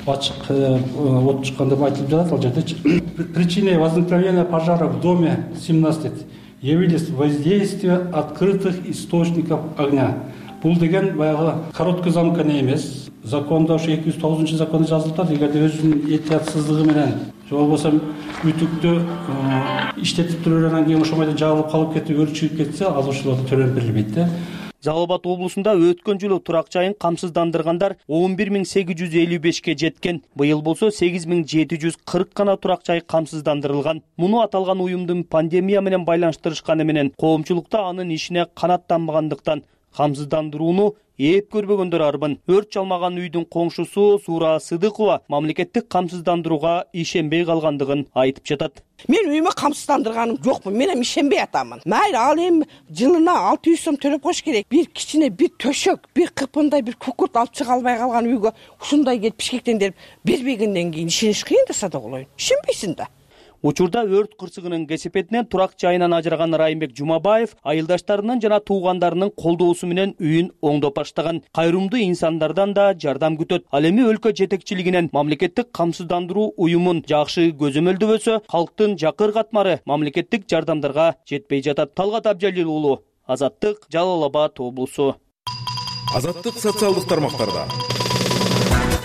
ачык от чыккан деп айтылып жатат ал жерде. Причиной возникновения пожара в доме 17 явились воздействие открытых источников огня. Бул деген баягы короткий замкнение эмес. Закондо ушу 209-законда жазылып атат. Эгерде өзүнүн эhtiyatсыздыгы менен же болбосо үтүктү иштетип тургандан кийин ошол бойдон жабылып калып кетип өрт чыгып кетсе, ал ошолорду төлөп берилбейт да. Жалал Абад облусунда өткөн жылы турак жайын камсыздандыргандар 11.855ке жеткен. Быйыл болсо 8.740 гана турак жай камсыздандырылган. Муну аталган уюмдун пандемия менен байланыштырышканы менен коомчулукта анын ишине канааттанбагандыктан камсыздандырууну ээп көрбөгөндөр арбын. Өрт чалмаган үйдүн коңшусу Сура Сыдыкова мамлекеттик камсыздандырууга ишенбей калгандыгын айтып жатат. Мен үйүмө камсыздандырганым жокмун. Мен эми ишенбей атамын. Майра ал эми жылына 600 сом төлөп коюш керек. Бир кичине бир төшөк, бир кыпындай бир кукурт алып чыга албай калган үйгө ушундай келип Бишкектен бербегенден кийин ишениш кыйын да сада болоюн. Ишенбейсиң да. Учурда өрт кырсыгынын кесепетинен турак жайынан ажыраган Райымбек Жумабаев айылдаштарынын жана туугандарынын колдоосу менен үйүн оңдоп баштаган. Кайрымдуу инсандардан да жардам күтөт. Ал эми өлкө жетекчилигинен мамлекеттик камсыздандыруу уюмун жакшы көзөмөлдөбөсө, калктын жакыр катмары мамлекеттик жардамдарга жетпей жатат. Талгат Абжалил уулу, Азаттык, Жалал Абад облусу. Азаттык социалдык тармактарда.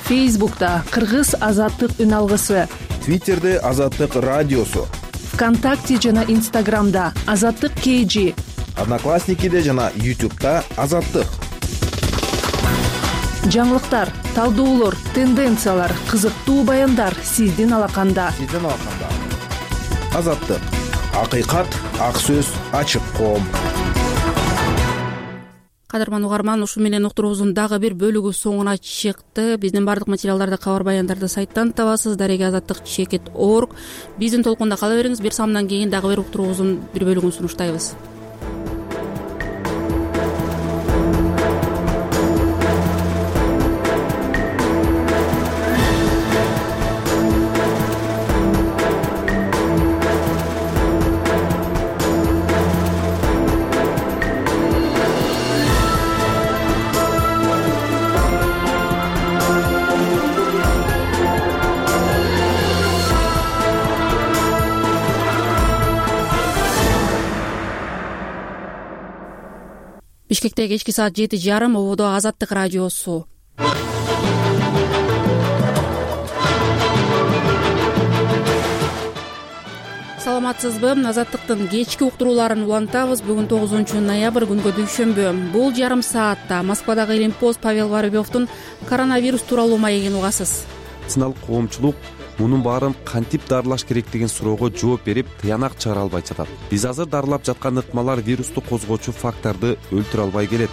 Фейсбукта Кыргыз Азаттык үн алгысы. Твиттерде Азаттык радиосу. ВКонтакте жана Инстаграмда Азаттык KG. Одноклассникиде жана YouTube'да Азаттык. Жаңылыктар, талдоолор, тенденциялар, кызыктуу баяндар сиздин алаканда. Азаттык. Акыйкат, ак сөз, ачык коом. Кадырман угарман, ушу менен уктуруубуздун дагы бир бөлүгү соңуна чыкты. Биздин баардык материалдарды, кабар баяндарды сайттан табасыз. Дареге Азаттык.org. Биздин толкунда кала бериңиз. Бир самымдан кийин дагы бир уктуруубуздун бир бөлүгүн сунуштайбыз. Бишкекте кечки саат 7:30. Ободо Азаттык радиосу. Саламатсызбы? Азаттыктын кечки уктурууларын улантабыз. Бүгүн 9 ноябрь, күнгө дүйшөмбү. Бул жарым саатта Москвадагы Илимпост Павел Воробьевдун коронавирус тууралуу маегин угасыз. Медициналык коомчулук мунун баарын кантип дарылаш керек деген суроого жооп берип, тыянак чыгара албай жатат. Биз азыр дарылап жаткан ыкмалар вирусту козгоочу факторду өлтүрө албай келет.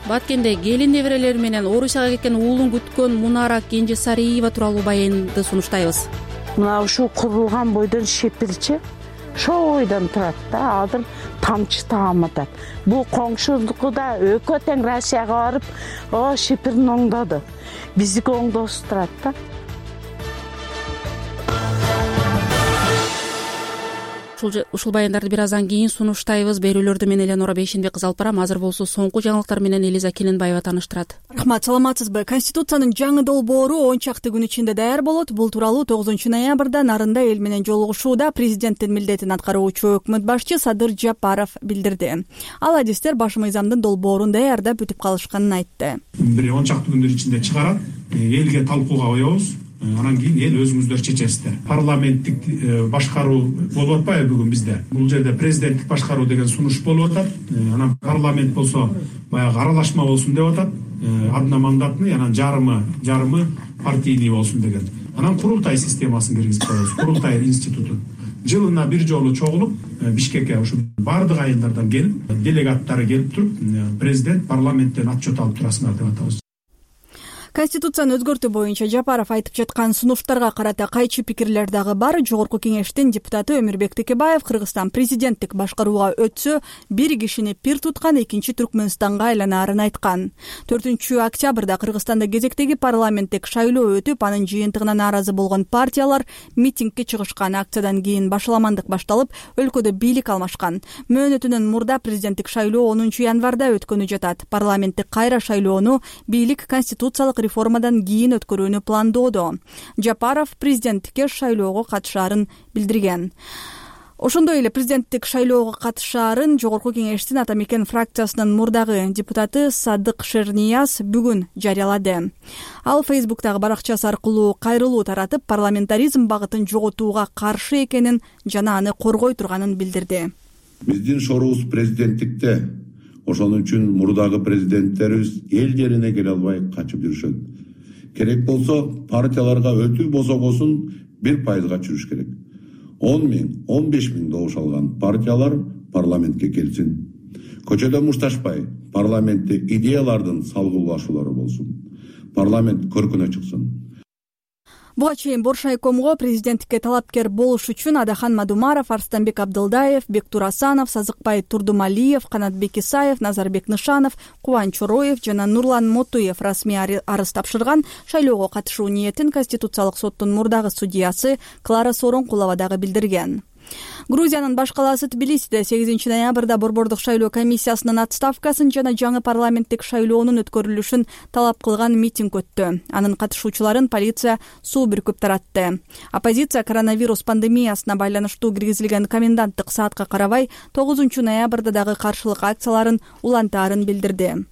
Баткенде келин неберелери менен Орусияга кеткен уулун күткөн Мунара Кенжесариева тууралуу баянды сунуштайбыз. Мына ушул курулган бойдон шепирчи ошол бойдон турат да, азыр тамчы тааматат. Бул коңшулуку да экөө тең Россияга барып, шепирин оңдоду. Биздики оңдосуз турат да. Ушул баяндарды бир аздан кийин сунуштайбыз. Берүүлөрдү мен Эленора Бейшенбек кызы алып барам. Азыр болсо соңку жаңылыктар менен Элиза Келенбаева тааныштырат. Рахмат, саламатсызбы? Конституциянын жаңы долбоору 10 чакты күн ичинде даяр болот. Бул тууралуу 9 ноябрда Нарында эл менен жолугушууда президенттин милдетин аткаруучу өкмөт башчы Садыр Жапаров билдирди. Ал адистер баш мыйзамдын долбоорун даярдап бүтүп калышканын айтты. Бир 10 чакты күндөр ичинде чыгарат, элге талкууга коебуз. Анан кийин эл өзүңүздөр чечесиздер. Парламенттик башкаруу болуп атпайбы бүгүн бизде? Бул жерде президенттик башкаруу деген сунуш болуп атат. Анан парламент болсо баягы аралашма болсун деп атат. Одномандатный, анан жарымы партийный болсун деген. Анан курултай системасын киргизип коебуз. Курултай институту. Жылына бир жолу чогулуп, Бишкекке ушу бардык айылдардан келип, делегаттары келип туруп, президент парламенттен отчет алып турасыңар деп атабыз. Конституцияны өзгөртүү боюнча Жапаров айтып жаткан сунуштарга карата кайчы пикирлер дагы бар. Жогорку кеңештин депутаты Өмүрбек Текебаев Кыргызстан президенттик башкарууга өтсө, бир кишини пир туткан экинчи Түркмөнстанга айланаарын айткан. 4 октябрда Кыргызстанда кезектеги парламенттик шайлоо өтүп, анын жыйынтыгына нааразы болгон партиялар митингге чыгышкан. Акциядан кийин башаламандык башталып, өлкөдө бийлик алмашкан. Мөөнөтүнөн мурда президенттик шайлоо 10 январда өткөнү жатат. Парламенттик кайра шайлоону бийлик конституциялык реформадан кийин өткөрүүнү пландоодо. Жапаров президенттикке шайлоого катышаарын билдирген. Ошондой эле президенттик шайлоого катышаарын Жогорку кеңештин Ата Мекен фракциясынын мурдагы депутаты Садык Шернияз бүгүн жарыялады. Ал Фейсбуктагы баракчасы аркылуу кайрылуу таратып, парламентаризм багытын жоготууга каршы экенин жана аны коргой турганын билдирди. Биздин шоруубуз президенттикте. Ошон үчүн мурдагы президенттерибиз эл жерине келе албай качып жүрүшөт. Керек болсо партияларга өтүү босогосун 1%га чүрүш керек. 10 000, 15 000 добуш алган партиялар парламентке келсин. Көчөдө мушташпай, парламентте идеялардын салгылашуулары болсун. Парламент көркүнө чыксын. Буга чейин Боршайкомго президенттикке талапкер болуш үчүн Адахан Мадумаров, Арстанбек Абдылдаев, Бектур Асанов, Сазыкбай Турдумалиев, Канатбек Исаев, Назарбек Нышанов, Кубан Чороев жана Нурлан Мотуев расмий арыз тапшырган. Шайлоого катышуу ниетин Конституциялык соттун мурдагы судьясы Клара Сооронкулова дагы билдирген. Грузиянын баш калаасы Тбилисиде 8 ноябрда борбордук шайлоо комиссиясынын отставкасын жана жаңы парламенттик шайлоонун өткөрүлүшүн талап кылган митинг өттү. Анын катышуучуларын полиция суу бүркүп таратты. Оппозиция коронавирус пандемиясына байланыштуу киргизилген коменданттык саатка карабай 9 ноябрда дагы каршылык акцияларын улантаарын билдирди.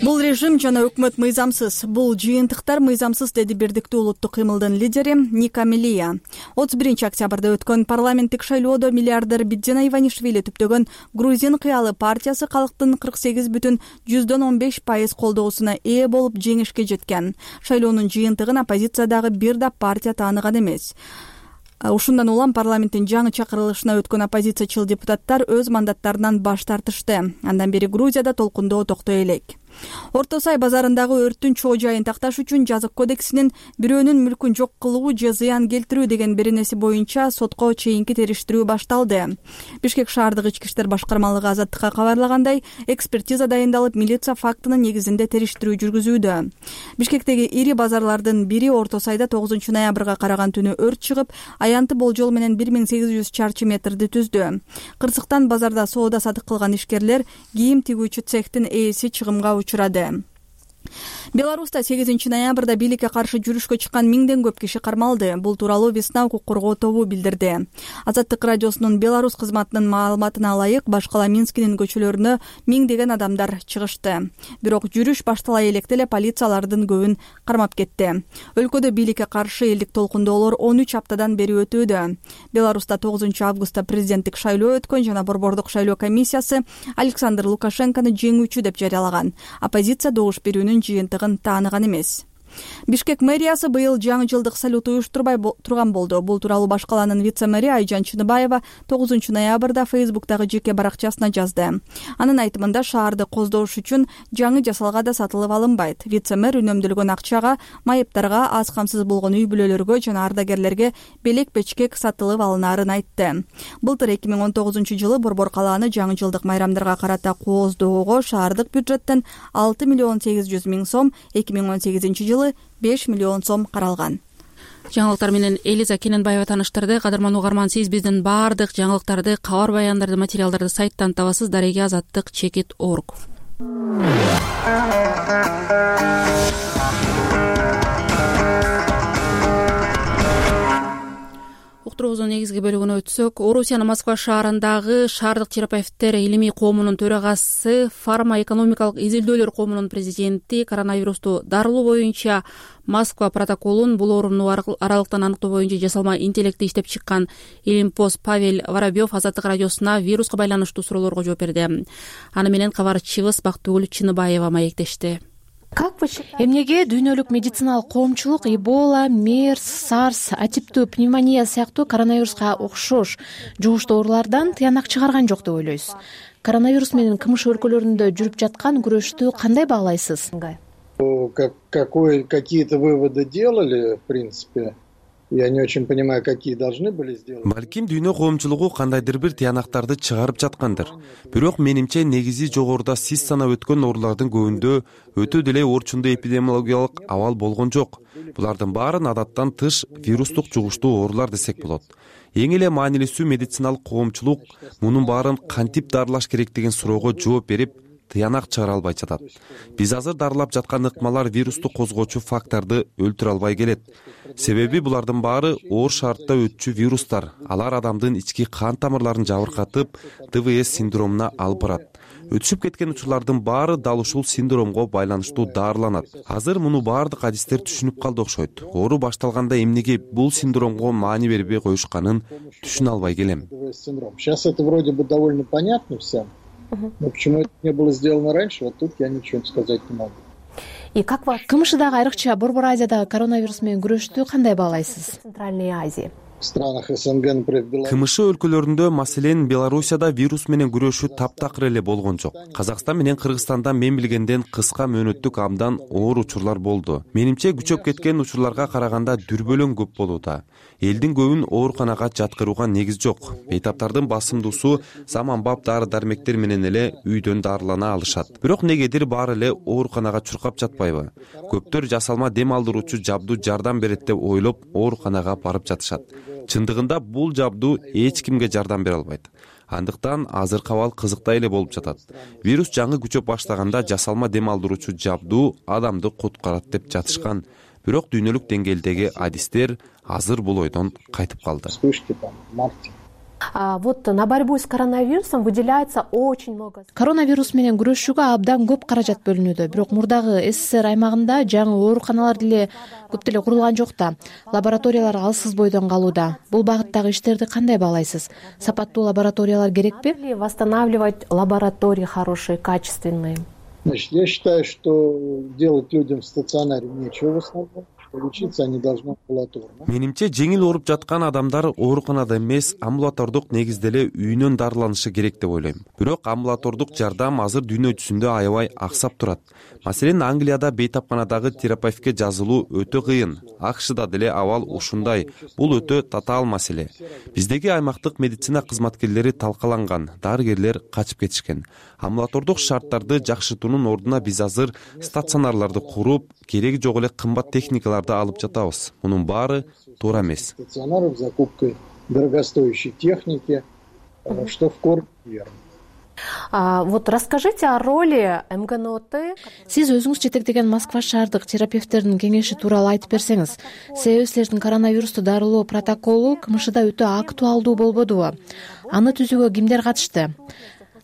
Бул режим жана өкмөт мыйзамсыз. Бул жыйынтыктар мыйзамсыз, деди Бирдиктүү улуттук кыймылдын лидери Ника Мелия. 31 октябрда өткөн парламенттик шайлоодо миллиардер Бидзена Иванишвили түптөгөн Грузин кыялы партиясы калктын 48,15% колдоосуна ээ болуп жеңишке жеткен. Шайлоонун жыйынтыгын оппозициядагы бир да партия тааныган эмес. Ушундан улам парламенттин жаңы чакырылышына өткөн оппозициячыл депутаттар өз мандаттарынан баш тартышты. Андан бери Грузияда толкундоо токтой элек. Орто Сай базарындагы өрттүн чоо жайын такташ үчүн жазык кодексинин бирөөнүн мүлкүн жок кылуу же зыян келтирүү деген беренеси боюнча сотко чейинки териштирүү башталды. Бишкек шаардык ички иштер башкармалыгы Азаттыкка кабарлагандай, экспертиза дайындалып, милиция фактынын негизинде териштирүү жүргүзүүдө. Бишкектеги ири базарлардын бири Орто Сайда 9 ноябрга караган түнү өрт чыгып, аянты болжол менен 1800 чарчы метрди түздү. Кырсыктан базарда соода сатык кылган ишкерлер кийим тигүүчү цехтин ээси чыгымга учурады. Беларуста 8 ноябрда бийликке каршы жүрүшкө чыккан 1000ден көп киши кармалды. Бул тууралуу Весна укук коргоо тобу билдирди. Азаттык радиосунун Беларусь кызматынын маалыматына ылайык, баш кала Минскинин көчөлөрүнө 1000деген адамдар чыгышты. Бирок жүрүш баштала электе эле полициялардын көбүн кармап кетти. Өлкөдө бийликке каршы элдик толкундоолор 13 аптадан бери өтүүдө. Беларуста 9 августта президенттик шайлоо өткөн жана борбордук шайлоо комиссиясы Александр Лукашенкону жеңүүчү деп жарыялаган. Оппозиция добуш берүүнүн жыйынтыгын тааныган эмес. Бишкек мэриясы быйыл жаңы жылдык салют уюштурбай турган болду. Бул тууралуу баш каланын вице-мэри Айжан Чыныбаева 9 ноябрда Фейсбуктагы жеке баракчасына жазды. Анын айтымында шаарды коздош үчүн жаңы жасалга да сатылып алынбайт. Вице-мэр үнөмдөлгөн акчага майыптарга, аз камсыз болгон үй бүлөлөргө жана ардагерлерге белек-бечкек сатылып алынаарын айтты. Былтыр 2019 Борбор калааны жаңы жылдык майрамдарга карата кооздоого шаардык бюджеттен 6,8 миң сом, 2018 5 миллион сом каралган. Жаңылыктар менен Элиза Кененбаева тааныштырды. Кадырман угарман, сиз биздин баардык жаңылыктарды, кабар баяндарды, материалдарды сайттан табасыз. Дареги азаттык _org. Уктуруубуздун негизги бөлүгүнө өтсөк, Орусиянын Москва шаарындагы Шаардык терапевттер илимий коомунун төрагасы, фарма-экономикалык изилдөөлөр коомунун президенти коронавирусту дарылоо боюнча Москва протоколун бул оорууну аралыктан аныктоо боюнча жасалма интеллектти иштеп чыккан илимпоз Павел Воробьев Азаттык радиосуна вируска байланыштуу суроолорго жооп берди. Аны менен кабарчыбыз Бактыгүл Чыныбаева маектешти. Эмнеге дүйнөлүк медициналык коомчулук Эбола, МЕРС, САРС, атиптүү пневмония сыяктуу коронавируска окшош жугуштуу оорулардан тыянак чыгарган жок деп ойлойсуз? Коронавирус менен КМШ өлкөлөрүндө жүрүп жаткан күрөштү кандай баалайсыз? Какие-то выводы делали, в принципе. Я не очень понимаю, какие должны были сделать. Балким дүйнө коомчулугу кандайдыр бир тыянактарды чыгарып жаткандыр. Бирок менимче негизи жогоруда сиз санап өткөн оорулардын көбүндө өтө деле орчундуу эпидемиологиялык абал болгон жок. Булардын баарын адаттан тыш вирустук жугуштуу оорулар десек болот. Эң эле маанилүүсү медициналык коомчулук мунун баарын кантип дарылаш керек деген суроого жооп берип, тыянак чыгара албай жатат. Биз азыр дарылап жаткан ыкмалар вирусту козгоочу факторду өлтүрө албай келет. Себеби булардын баары оор шартта өтчү вирустар. Алар адамдын ички кан тамырларын жабыркатып, ДВС синдромуна алып барат. Өтүшүп кеткен учурлардын баары дал ушул синдромго байланыштуу дарыланат. Азыр муну баардык адистер түшүнүп калды окшойт. Оору башталганда эмнеге бул синдромго маани бербей коюшканын түшүнө албай келем. Сейчас это вроде бы довольно понятно всем. Но почему это не было сделано раньше, вот тут я ничего сказать не могу. КМШдагы айрыкча Борбор Азиядагы коронавирус менен күрөштү кандай баалайсыз? Центральная Азия. В странах СНГ, например, Беларусь. КМШ өлкөлөрүндө, маселен, Белоруссияда вирус менен күрөшүү таптакыр эле болгон жок. Казакстан менен Кыргызстанда мен билгенден кыска мөөнөттүк абдан оор учурлар болду. Менимче күчөп кеткен учурларга караганда дүрбөлөң көп болууда. Элдин көбүн ооруканага жаткырууга негиз жок. Бейтаптардын басымдуусу заманбап дары-дармектер менен эле үйдөн дарылана алышат. Бирок негедир баары эле ооруканага чуркап жатпайбы? Көптөр жасалма дем алдыруучу жабдуу жардам берет деп ойлоп ооруканага барып жатышат. Чындыгында бул жабдуу эч кимге жардам бере албайт. Андыктан азыркы абал кызыктай эле болуп жатат. Вирус жаңы күчөп баштаганда жасалма дем алдыруучу жабдуу адамды куткарат деп жатышкан. Бирок дүйнөлүк деңгээлдеги адистер азыр бул ойдон кайтып калды. Вот на борьбу с коронавирусом выделяется очень много. Коронавирус менен күрөшүүгө абдан көп каражат бөлүнүүдө. Бирок мурдагы СССР аймагында жаңы ооруканалар деле көп деле курулган жок да. Лабораториялар алсыз бойдон калууда. Бул багыттагы иштерди кандай баалайсыз? Сапаттуу лабораториялар керекпи? Восстанавливать лаборатории хорошие, качественные. Значит, я считаю, что делать людям в стационаре нечего в основном. лечиться, они должны амбулаторно. Менимче жеңил ооруп жаткан адамдар ооруканада эмес, амбулатордук негизде эле үйүнөн дарыланышы керек деп ойлойм. Бирок амбулатордук жардам азыр дүйнө жүзүндө аябай аксап турат. Маселен, Англияда бейтапканадагы терапевтке жазылуу өтө кыйын. АКШда деле абал ушундай. Бул өтө татаал маселе. Биздеги аймактык медицина кызматкерлери талкаланган, дарыгерлер качып кетишкен. Амбулатордук шарттарды жакшыртуунун ордуна биз азыр стационарларды куруп, кереги жок эле кымбат техникаларды алып жатабыз. Мунун баары туура эмес. Стационаров закупкой дорогостоящей техники, что в корне верно. Вот расскажите о роли МГНОТ. Сиз өзүңүз жетектеген Москва шаардык терапевттердин кеңеши тууралуу айтып берсеңиз. Себеби силердин коронавирусту дарылоо протоколу КМШда өтө актуалдуу болбодубу? Аны түзүүгө кимдер катышты?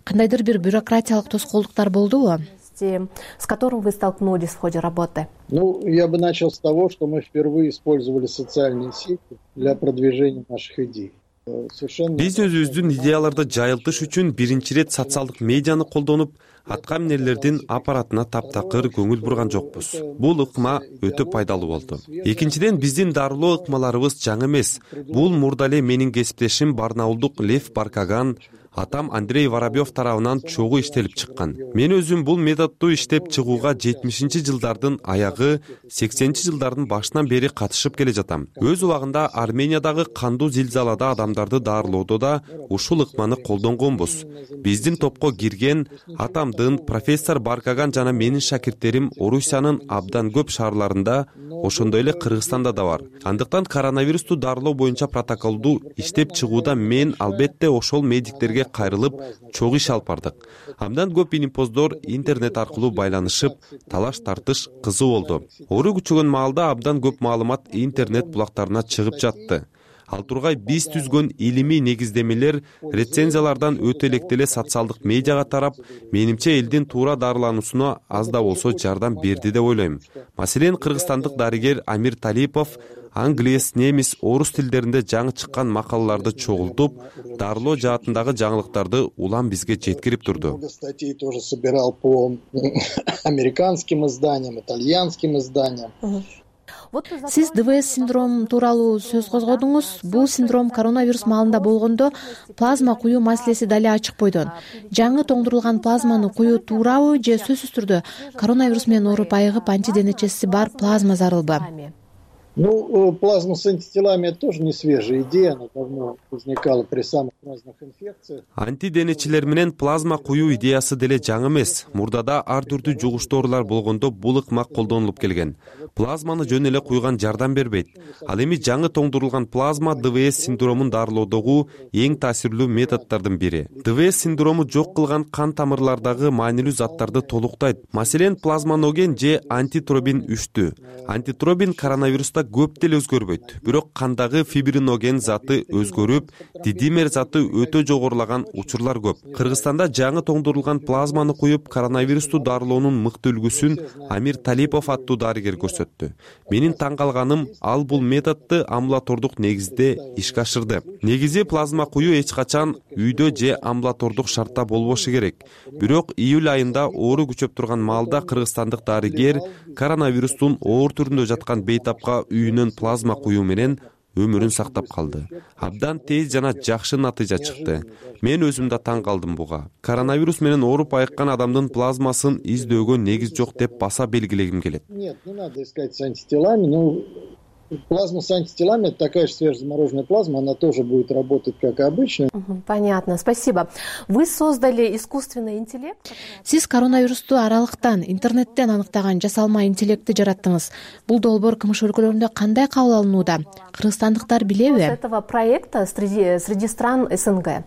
Кандайдыр бир бюрократиялык тоскоолдуктар болдубу? С которым вы столкнулись в ходе работы? Я бы начал с того, что мы впервые использовали социальные сети для продвижения наших идей. Биз өзүбүздүн идеяларды жайылтыш үчүн биринчи ирет социалдык медианы колдонуп, атка минерлердин аппаратына таптакыр көңүл бурган жокпуз. Бул ыкма өтө пайдалуу болду. Экинчиден, биздин дарылоо ыкмаларыбыз жаңы эмес. Бул мурда эле менин кесиптешим барнаулдук Лев Баркаган, атам Андрей Воробьев тарабынан чогуу иштелип чыккан. Мен өзүм бул методду иштеп чыгууга 70-жылдардын аягы, 80-жылдардын башынан бери катышып келе жатам. Өз убагында Армениядагы кандуу зилзалада адамдарды дарылоодо да ушул ыкманы колдонгонбуз. Биздин топко кирген атамдын профессор Баркаган жана менин шакирттерим Орусиянын абдан көп шаарларында, ошондой эле Кыргызстанда да бар. Андыктан коронавирусту дарылоо боюнча протоколду иштеп чыгууда мен албетте ошол медиктерге кайрылып чогуу иш алып бардык. Абдан көп илимпоздор интернет аркылуу байланышып, талаш тартыш кызуу болду. Оору күчөгөн маалда абдан көп маалымат интернет булактарына чыгып жатты. Ал тургай биз түзгөн илимий негиздемелер рецензиялардан өтө электеле социалдык медиага тарап, менимче элдин туура дарылануусуна аз да болсо жардам берди деп ойлойм. Маселен, кыргызстандык дарыгер Амир Талипов англис, немис, орус тилдеринде жаңы чыккан макалаларды чогултуп, дарылоо жаатындагы жаңылыктарды улам бизге жеткирип турду. Статей тоже собирал по американским изданиям, итальянским изданиям. Сиз ДВС синдром тууралуу сөз козгодуңуз. Бул синдром коронавирус маалында болгондо плазма куюу маселеси дале ачык бойдон. Жаңы тоңдурулган плазманы куюу туурабы же сөзсүз түрдө коронавирус менен ооруп айыгып антиденечеси бар плазма зарылбы? Плазма с антителами — это тоже не свежая идея, она давно возникала при самых разных инфекциях. Антиденечилер менен плазма куюу идеясы деле жаңы эмес. Мурдада ар түрдүү жугуштуу оорулар болгондо бул ыкма колдонулуп келген. Плазманы жөн эле куйган жардам бербейт. Ал эми жаңы тоңдурулган плазма ДВС синдромун дарылоодогу эң таасирлүү методдордун бири. ДВС синдрому жок кылган кан тамырлардагы маанилүү заттарды толуктайт. Маселен, плазманоген же антитробин 3-түү. Антитробин коронавируста көп деле өзгөрбөйт. Бирок кандагы фибриноген заты өзгөрүп, дидимер заты өтө жогорулаган учурлар көп. Кыргызстанда жаңы тоңдурулган плазманы куюп, коронавирусту дарылоонун мыкты үлгүсүн Амир Талипов аттуу дарыгер көрсөттү. Менин таң калганым, ал бул методду амбулатордук негизде ишке ашырды. Негизи плазма куюу эч качан үйдө же амбулатордук шартта болбошу керек. Бирок июль айында оору күчөп турган маалда кыргызстандык дарыгер коронавирустун оор түрүндө жаткан бейтапка үйүнөн плазма куюу менен өмүрүн сактап калды. Абдан тез жана жакшы натыйжа чыкты. Мен өзүм да таң калдым буга. Коронавирус менен ооруп айыккан адамдын плазмасын издөөгө негиз жок деп баса белгилегим келет. Нет, не надо искать с антителами, плазма с антителами — это такая же свежезамороженная плазма, она тоже будет работать как обычно. Понятно, спасибо. Вы создали искусственный интеллект? Сиз коронавирусту аралыктан, интернеттен аныктаган жасалма интеллектти жараттыңыз. Бул долбоор КМШ өлкөлөрүндө кандай кабыл алынууда? Кыргызстандыктар билеби? С этого проекта среди стран СНГ.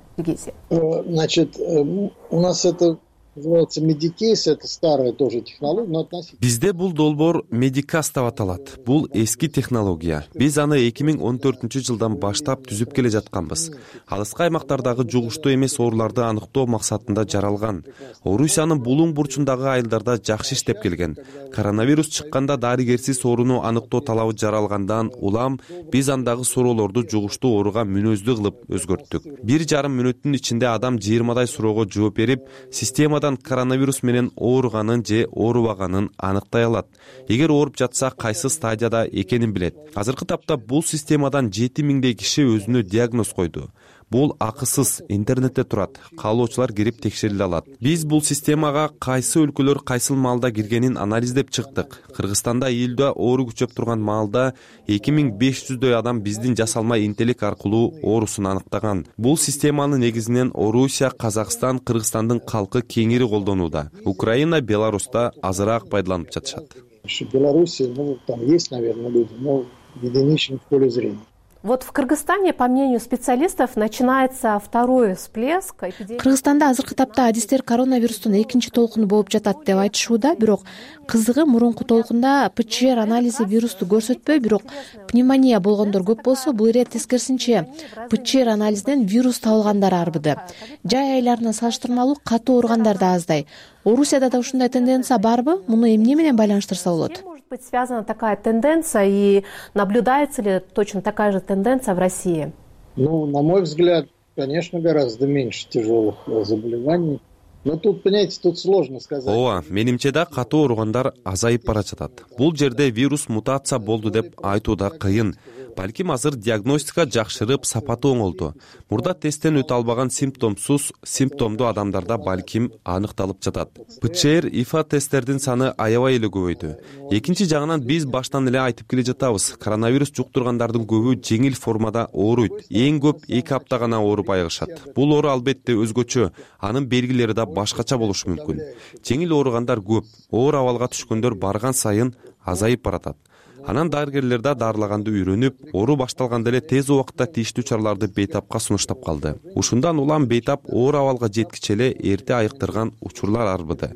Значит, у нас это называется Medicase, это старая тоже технология, но относительно. Бизде бул долбоор Medicase деп аталат. Бул эски технология. Биз аны 2014-жылдан баштап түзүп келе жатканбыз. Алыскы аймактардагы жугуштуу эмес ооруларды аныктоо максатында жаралган. Орусиянын булуң бурчундагы айылдарда жакшы иштеп келген. Коронавирус чыкканда дарыгерсиз ооруну аныктоо талабы жаралгандан улам биз андагы суроолорду жугуштуу ооруга мүнөздүү кылып өзгөрттүк. 1,5 мүнөттүн ичинде адам 20 суроого жооп берип, системада системадан коронавирус менен ооруганын же оорубаганын аныктай алат. Эгер ооруп жатса, кайсы стадияда экенин билет. Азыркы тапта бул системадан 7000 киши өзүнө диагноз койду. Бул акысыз, интернетте турат. Каалоочулар кирип текшериле алат. Биз бул системага кайсы өлкөлөр кайсыл маалда киргенин анализдеп чыктык. Кыргызстанда июлда оору күчөп турган маалда 2500дөй адам биздин жасалма интеллект аркылуу оорусун аныктаган. Бул системаны негизинен Орусия, Казакстан, Кыргызстандын калкы кеңири колдонууда. Украина, Беларуста азыраак пайдаланып жатышат. В Беларуси, там есть, наверное, люди, но единичный в поле зрения. Вот в Кыргызстане, по мнению специалистов, начинается второй всплеск эпидемии. Кыргызстанда азыркы тапта адистер коронавирустун экинчи толкуну болуп жатат деп айтышууда, бирок кызыгы мурунку толкунда ПЧР анализи вирусту көрсөтпөй, бирок пневмония болгондор көп болсо, бул ирет тескерисинче ПЧР анализинен вирус табылгандар арбыды. Жай айларына салыштырмалуу катуу ооругандар да аздай. Орусияда да ушундай тенденция барбы? Муну эмне менен байланыштырса болот? Может быть связана такая тенденция и наблюдается ли точно такая же тенденция в России? Ну, на мой взгляд, конечно, гораздо меньше тяжелых заболеваний. Но тут, понимаете, тут сложно сказать. Ооба, менимче да катуу ооругандар азайып бара жатат. Бул жерде вирус мутация болду деп айтуу да кыйын. Балким азыр диагностика жакшырып, сапаты оңолду. Мурда тесттен өтө албаган симптомсуз, симптомдуу адамдарда балким аныкталып жатат. ПЧР, ИФА тесттердин саны аябай эле көбөйдү. Экинчи жагынан биз баштан эле айтып келе жатабыз. Коронавирус жуктургандардын көбү жеңил формада ооруйт. Эң көп 2 апта гана ооруп айыгышат. Бул оору албетте өзгөчө, анын белгилери да башкача болушу мүмкүн. Жеңил ооругандар көп, оор абалга түшкөндөр барган сайын азайып баратат. Анан дарыгерлер да дарылаганды үйрөнүп, оору башталганда эле тез убакытта тийиштүү чараларды бейтапка сунуштап калды. Ушундан улам бейтап оор абалга жеткиче эле эрте айыктырган учурлар арбыды.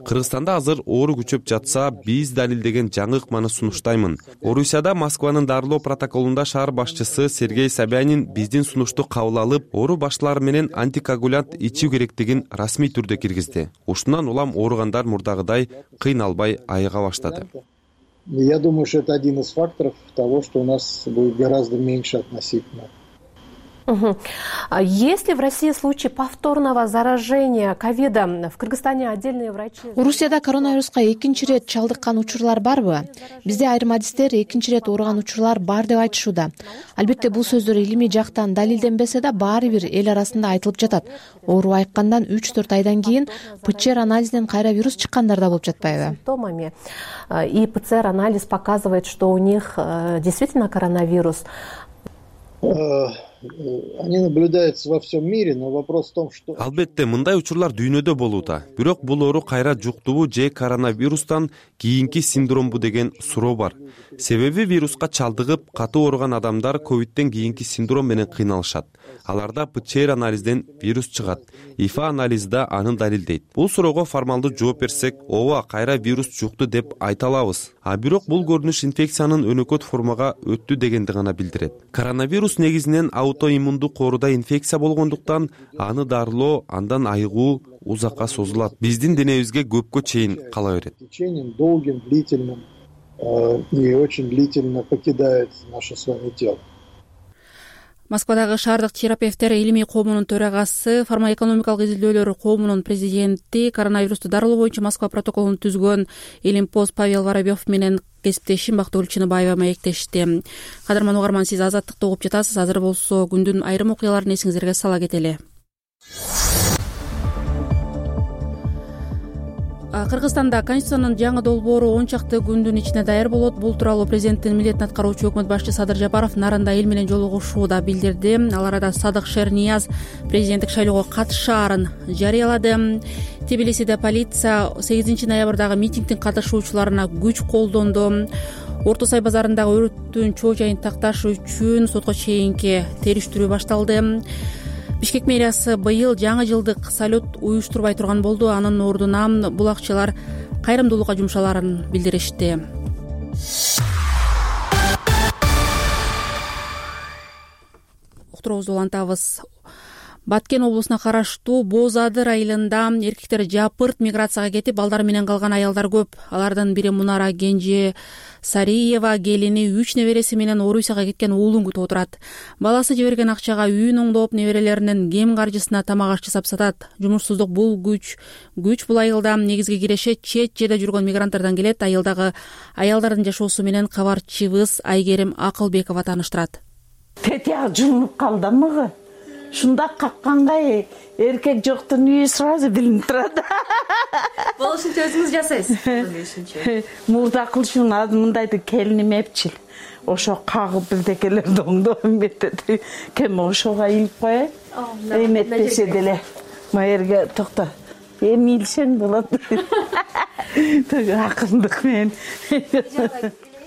Кыргызстанда азыр оору күчөп жатса, биз далилдеген жаңы ыкманы сунуштаймын. Орусияда Москванын дарылоо протоколунда шаар башчысы Сергей Собянин биздин сунушту кабыл алып, оору башталары менен антикоагулянт ичүү керектигин расмий түрдө киргизди. Ушундан улам ооругандар мурдагыдай кыйналбай айыга баштады. Я думаю, что это один из факторов того, что у нас будет гораздо меньше относительно. Есть ли в России случаи повторного заражения ковидом? В Кыргызстане отдельные врачи. Орусияда коронавируска экинчи ирет чалдыккан учурлар барбы? Бизде айрым адистер экинчи ирет ооруган учурлар бар деп айтышууда. Албетте бул сөздөр илимий жактан далилденбесе да баары бир эл арасында айтылып жатат. Оору айыккандан 3-4 айдан кийин ПЧР анализинен кайра вирус чыккандар да болуп жатпайбы? Симптомами. И ПЦР анализ показывает, что у них действительно коронавирус. Они наблюдаются во всем мире, но вопрос в том, что... Албетте, мындай учурлар дүйнөдө болууда. Бирок бул оору кайра жуктубу же коронавирустан кийинки синдромбу деген суроо бар. Себеби вируска чалдыгып, катуу ооруган адамдар ковидтен кийинки синдром менен кыйналышат. Аларда ПЧР анализден вирус чыгат. ИФА анализи да аны далилдейт. Бул суроого формалдуу жооп берсек, ооба, кайра вирус жукту деп айта алабыз. А бирок бул көрүнүш инфекциянын өнөкөт формага өттү дегенди гана билдирет. Коронавирус негизинен аутоиммундук ооруда инфекция болгондуктан аны дарылоо, андан айыгуу узакка созулат. Биздин денебизге көпкө чейин кала берет. Течением долгим, длительным и очень длительно покидает наше с вами тело. Москвадагы шаардык терапевттер илимий коомунун төрагасы, фармаэкономикалык изилдөөлөр коомунун президенти, коронавирусту дарылоо боюнча Москва протоколун түзгөн Элимпоз Павел Воробьев менен кесиптешим Бактыгүл Чыныбаева маектешти. Кадырман угарман, сиз Азаттыкты угуп жатасыз. Азыр болсо күндүн айрым окуяларын эсиңиздерге сала кетели. Кыргызстанда Конституциянын жаңы долбоору 10 чакты күндүн ичинде даяр болот. Бул тууралуу президенттин милдетин аткаруучу өкмөт башчысы Садыр Жапаров Нарында эл менен жолугушууда билдирди. Ал арада Садык Шернияз президенттик шайлоого катышаарын жарыялады. Тбилисиде полиция 8 ноябрдагы митингдин катышуучуларына күч колдонду. Орто Сай базарындагы өрттүн чоо жайын такташ үчүн сотко чейинки териштирүү башталды. Бишкек мэриясы быйыл жаңы жылдык салют уюштурбай турган болду. Анын ордуна бул акчалар кайрымдуулукка жумшаларын билдиришти. Уктуруубузду улантабыз. Баткен облусуна караштуу Боз Адыр айылында эркектер жапырт миграцияга кетип, балдары менен калган аялдар көп. Алардын бири Мунара Кенже Сариева, келини 3 небереси менен Орусияга кеткен уулун күтүп отурат. Баласы жиберген акчага үйүн оңдоп, неберелеринин кем каржысына тамак аш жасап сатат. Жумушсуздук бул күч бул айылда негизги киреше чет жерде жүргөн мигранттардан келет. Айылдагы аялдардын жашоосу менен кабарчыбыз Айгерим Акылбекова тааныштырат. Тетяк жумуп калдымбы? Шунда какканга эркек жоктун үйү сразу билинип турат. Болушунча өзүңүз жасайсыз. Мурда кылышым мындайды келиним эпчил. Ошо кагып бирдекелерди оңдоп метет. Кем ошого илип коет. Эметпесе деле. Майерге токто. Эми илсең болот. Акындык менен.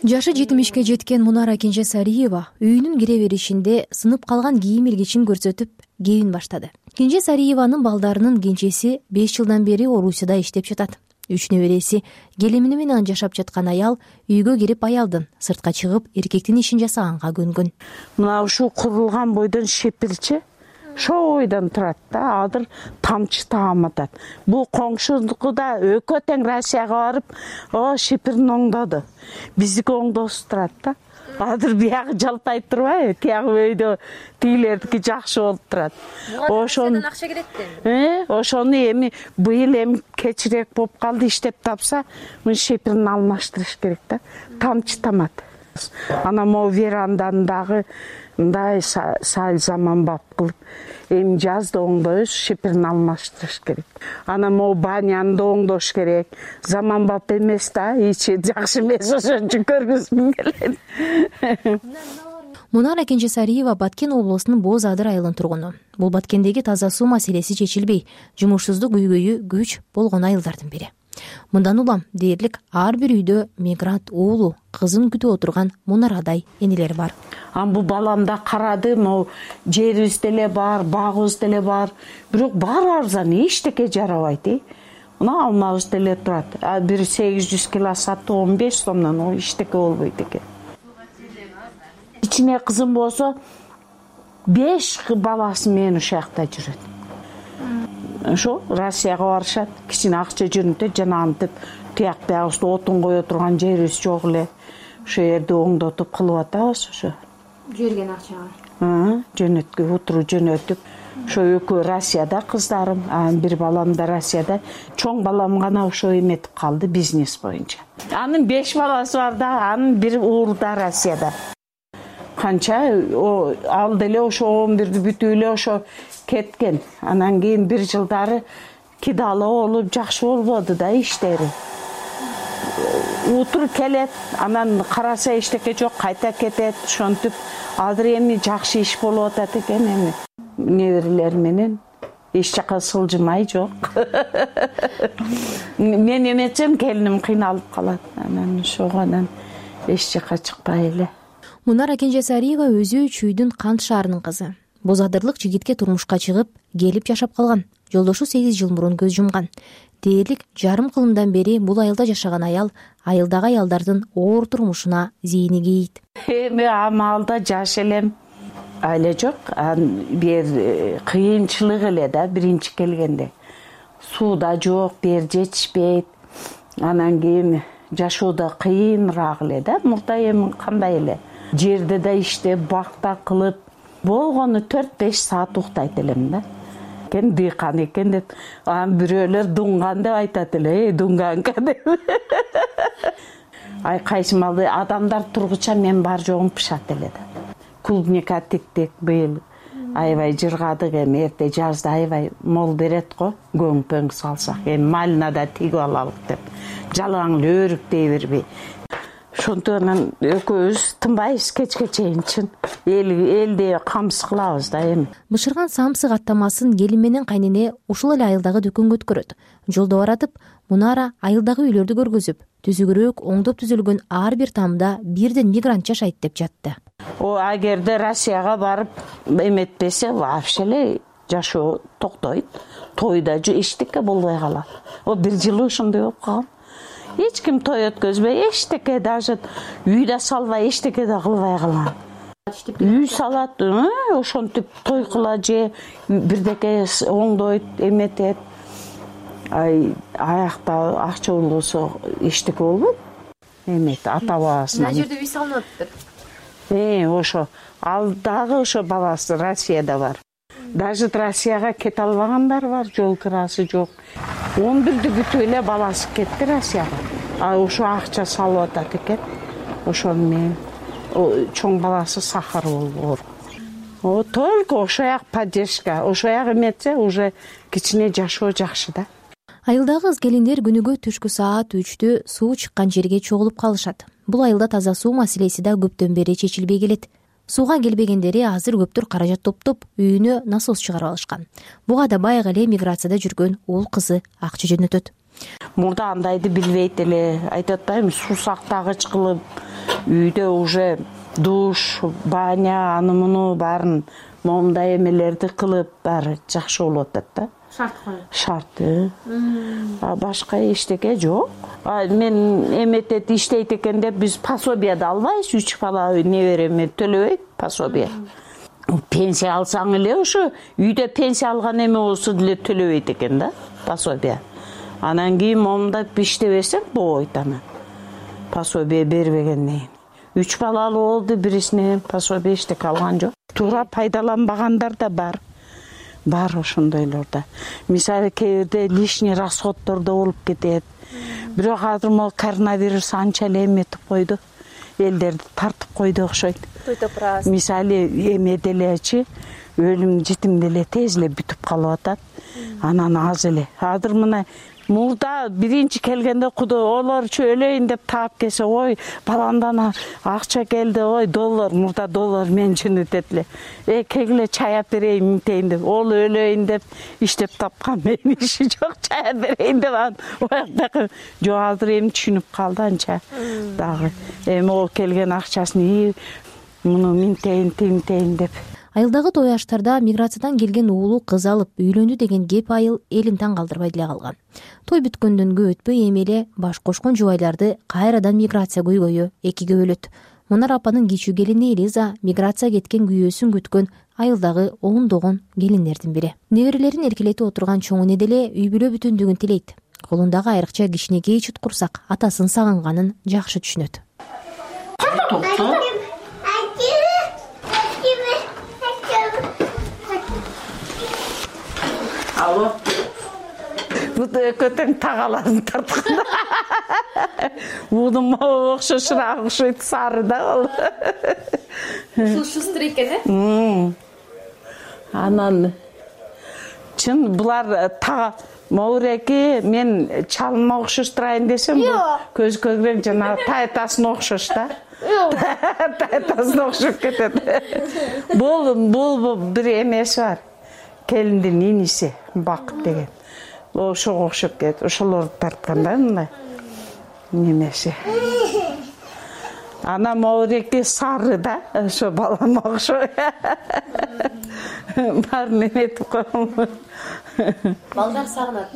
Жашы 70-ке жеткен Мунара Кенже Сариева үйүнүн кире беришинде сынып калган кийим илгичин көрсөтүп кебин баштады. Кенже Сариеванын балдарынын кенжеси 5 жылдан бери Орусияда иштеп жатат. 3 небереси келини менен жашап жаткан аял үйгө кирип аялдын сыртка чыгып эркектин ишин жасаганга көнгөн. Мына ушул курулган бойдон шепирчи шойдон турат да, азыр тамчы тааматат. Бул коңшулуку да экөө тең Россияга барып, шепирин оңдоду. Биздики оңдосуп турат да. Азыр биягы жалпайып турбайбы? Тиягы өйдө тигилердики жакшы болуп турат. Ошону акча керекти. Ошону эми быйыл эми кечирээк болуп калды, иштеп тапса, мына шепирин алмаштырыш керек да. Тамчы тамат. Ана могу веранданы дагы мындай сал заманбап кылып, эми жазда оңдойбуз, шепирин алмаштырыш керек. Ана могу баняны да оңдош керек. Заманбап эмес да, ичи жакшы эмес, ошон үчүн көргүзгүм келет. Мунара Кенже Сариева Баткен облусунун Боз Адыр айылынын тургуну. Бул Баткендеги таза суу маселеси чечилбей, жумушсуздук үйгөйү күч болгон айылдардын бири. Мындан улам дээрлик ар бир үйдө мигрант уулу, кызын күтүп отурган Мунарадай энелер бар. Бул баламда карады, могу жерибиз деле бар, багыбыз деле бар. Бирок баары арзан, эчтеке жарабайт. Мына алмабыз деле турат. Бир 800 кило сатты 15 сомдон, ол эчтеке болбойт экен. Ичине кызым болсо 5 баласы менен ушул жакта жүрөт. Ошо Россияга барышат, кичине акча жөнөтөт, жанагынтип тияк биягыбызды отун кое турган жерибиз жок эле. Ошо жерди оңдотуп кылып атабыз ошо. Жүргөн акчага. Жөнөткө утуру жөнөтүп, ошо экөө Россияда кыздарым, бир балам да Россияда. Чоң балам гана ошо эметип калды бизнес боюнча. Анын 5 баласы бар да, анын бир уулу да Россияда. Канча ал деле ошо 11-ди бүтүп эле ошо кеткен. Анан кийин бир жылдары кидала болуп жакшы болбоду да иштери. Утур келет, анан караса эчтеке жок, кайта кетет, ошентип азыр эми жакшы иш болуп атат экен эми. Неберелер менен эч жака сылжымай жок. Мен эметсем келиним кыйналып калат. Анан ошондон эч жака чыкпай эле. Мунара Кенже Сариева өзү Чүйдүн Кант шаарынын кызы. Боз Адырлык жигитке турмушка чыгып, келип жашап калган. Жолдошу 8 жыл мурун көз жумган. Дээрлик жарым кылымдан бери бул айылда жашаган аял айылдагы аялдардын оор турмушуна зейини кейийт. Эми амалда жаш элем, айла жок, бир кыйынчылык эле да биринчи келгенде. Суу да жок, бер жетишпейт. Анан кийин жашоодо кыйыныраак эле да, мурда эми кандай эле. Жерде да иштеп, бакта кылып, болгону 4-5 саат уктайт элем да. Кен дыйкан экен деп, бирөөлөр дунган деп айтат эле, дунганка деп. Кайсы малды адамдар тургуча мен бар жогум пышат эле да. Клубника тиктик быйыл аябай жыргадык, эми эрте жазда аябай мол берет го, көң-пөң салсак, эми малинада тигип алалык деп. Жалаң эле өрүктөй бербей. Ошондон экөөбүз тынбайбыз кечке чейин чын. Элде камсыз кылабыз да эми. Бышырган самсык аттамасын келин менен кайнене ушул эле айылдагы дүкөнгө өткөрөт. Жолдо баратып, Мунара айылдагы үйлөрдү көргөзүп, түзүгүрөөк оңдоп түзүлгөн ар бир тамда бирден мигрант жашайт деп жатты. Агерде Россияга барып эметпесе, вообще эле жашоо токтойт. Тойда эчтеке болбой калат. 1 жыл ошондой болуп калган. Эч ким той өткөзбөй, эчтеке даже үйдө салбай, эчтеке да кылбай калган. иштеп үй салат, ошентип той кыла же бирдеке оңдойт, эметет. Аякта акча болсо эчтеке болбойт. Эмет ата бабасына. Мына жерде үй салынып атыптыр. Ошо ал дагы ошо баласы Россияда бар. Даже Россияга кете албагандар бар, жол кырасы жок. 11-ди бүтүп эле баласы кетти Россияга. Ошо акча салып атат экен. Ошону менен чоң баласы сахар болуп ооруп. Только ошо як поддержка, ошо як эметсе уже кичине жашоо жакшы да. Айылдагы кыз келиндер күнүгө түшкү саат 3-тө суу чыккан жерге чогулуп калышат. Бул айылда таза суу маселеси да көптөн бери чечилбей келет. Сууга келбегендери азыр көптөр каражат топтоп үйүнө насос чыгарып алышкан. Буга да байга эле миграцияда жүргөн уул кызы акча жөнөтөт. Мурда андайды билбейт эле, айтып атпаймынбы, суу сактагыч кылып, үйдө уже душ, баня, аны муну баарын момундай эмелерди кылып, баары жакшы болуп атат да. Шарт коюп. Шарты. Башка эчтеке жок. Мен эметет иштейт экен деп биз пособияды албайбыз, 3 бала небереме төлөбөйт пособия. Пенсия алсаң эле ошо үйдө пенсия алган эме болсо деле төлөбөйт экен да пособия. Анан кийин момундап иштебесең болбойт анан. Пособия бербегенден кийин. 3 балалы болду, бирисинен пособия эчтеке алган жок. Туура пайдаланбагандар да бар. Бар ошондойлорда. Мисалы кээ бирде лишний расходдор да болуп кетет. Бирок азыр могу коронавирус анча эле эметип койду. Элдерди тартып койду окшойт. Мисалы эме делечи өлүм житим деле тез эле бүтүп калып атат. Анан аз эле. Азыр мына мурда биринчи келгенде Кудой олорчу өлөйүн деп таап келсе, ой, баландан акча келди, ой, доллар, мурда доллар мен жөнөтөт эле. Кегиле чай ап берейин минтейин деп, ол өлөйүн деп иштеп тапкан, менин иши жок, чай ап берейин деп анан ояктагы жок, азыр эми түшүнүп калды анча дагы. Эми ол келген акчасын муну минтейин, тинтейин деп. Айылдагы той аштарда миграциядан келген уулу кыз алып үйлөндү деген кеп айыл элин таң калтырбай деле калган. Той бүткөндөн көп өтпөй эми эле баш кошкон жубайларды кайрадан миграция көйгөйү экиге бөлөт. Мунар апанын кичүү келини Элиза миграция кеткен күйөөсүн күткөн айылдагы ондогон келиндердин бири. Неберелерин эркелетип отурган чоң эне деле үй бүлө бүтүндүгүн тилейт. Колундагы айрыкча кичинекей чуткурсак атасын сагынганын жакшы түшүнөт. Алло. Бут экөөтөң тагаларын тартканда. Мудум окшошураак окшойт, сары да ал. Ушул шустур экен, э? Анан чын булар Мауреки мен чалынма окшоштурайын десем, көз көгрен жана тайтасын окшош да. Тайтасын окшоп кетет. Бул бир эмеси бар. Келиндин иниси Бакыт деген. Ошого окшоп кетет. Ошолорду тартканда мындай немеси. Ана Мауреки сары да, ошо балама окшой. Баарын эметип койгон. Балдар сагынат.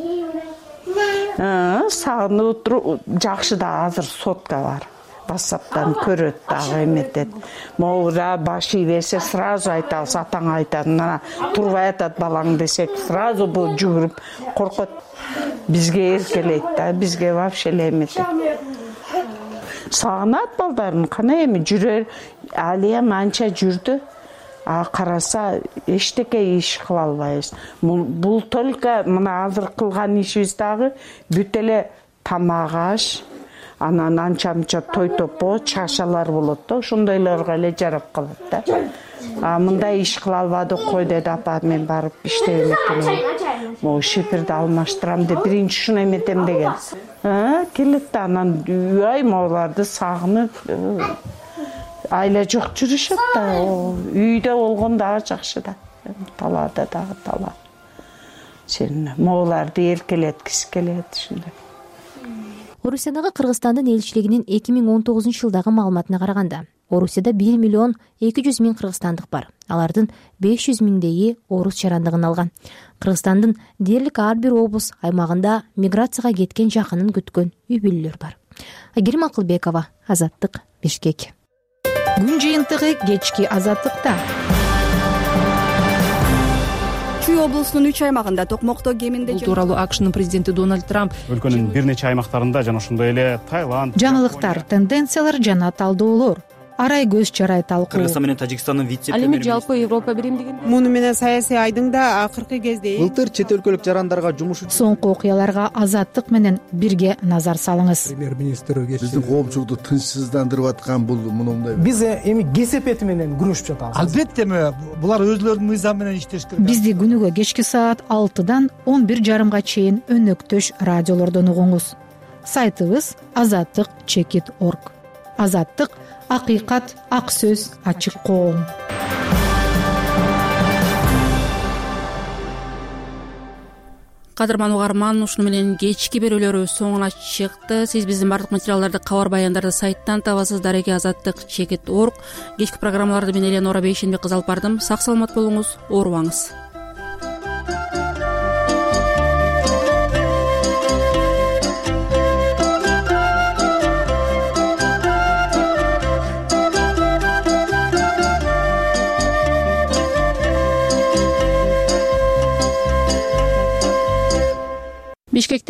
Сагынып туруп жакшы да, азыр сотка бар. WhatsApp'tan көрөт дагы эметет. Моура баш ийбесе сразу айтабыз, атаңа айтат. Мына турбай атат балаң десек, сразу бул жүгүрүп коркот. Бизге эркелейт да, бизге вообще эле эметет. Сагынат балдарын, кана эми жүрөр, Алия манча жүрдү. Караса эчтеке иш кыла албайбыз. Бул только мына азыр кылган ишибиз дагы бүт эле тамак аш, анан анча-мынча той топо, чашалар болот да, ошондойлорго эле жарап калат да. Мындай иш кыла албадык кой деди апа, мен барып иштебем экен. Могу шипирди алмаштырам деп биринчи ушуну эметем деген. Келет да, анан үй моуларды сагынып, айла жок жүрүшөт да, үйдө болгон дагы жакшы да. Талаада дагы тала. Сен моуларды эркелеткиси келет ушундай. Орусиядагы Кыргызстандын элчилигинин 2019 жылдагы маалыматына караганда, Орусияда 1 миллион 200 миң кыргызстандык бар. Алардын 500 миңдеги орус жарандыгын алган. Кыргызстандын дээрлик ар бир облус аймагында миграцияга кеткен жакынын күткөн үй бүлөлөр бар. Айгерим Акылбекова, Азаттык, Бишкек. күн жыйынтыгы кечки азаттыкта. Чүй облусунун 3 аймагында токмокто кеминде бул тууралуу АКШнын президенти Дональд Трамп өлкөнүн бир нече аймактарында жана ошондой эле Таиланд, жаңылыктар, тенденциялар жана талдоолор, арай көз чарай талкуу. Кыргызстан менен Тажикстандын Ал эми жалпы Европа биримдигин муну менен саясий айдың да акыркы кезде былтыр чет өлкөлүк жарандарга жумуш үчүн Соңку окуяларга азаттык менен бирге назар салыңыз. Премьер-министр биздин коомчулукту тынчсыздандырып аткан бул мындай. Биз эми кесепети менен күрөшүп жатабыз. Албетте булар өзлөрүнүн мыйзам менен иштеш керек. Бизди күнүгө кечки саат 6-дан 11:30 чейин өнөктөш радиолордон угуңуз. Сайтыбыз azattik.org. Азаттык, акыйкат, ак сөз, ачык коом. Кадырман угарман, ушуну менен кечки берүүлөрүбүз соңуна чыкты. Сиз биздин бардык материалдарды, кабар баяндарды сайттан табасыз. Дареги azattik.org. Кечки программаларды мен Эленора Бейшенбек кызы алып бардым. Сак саламат болуңуз, оорубаңыз. Бишкекте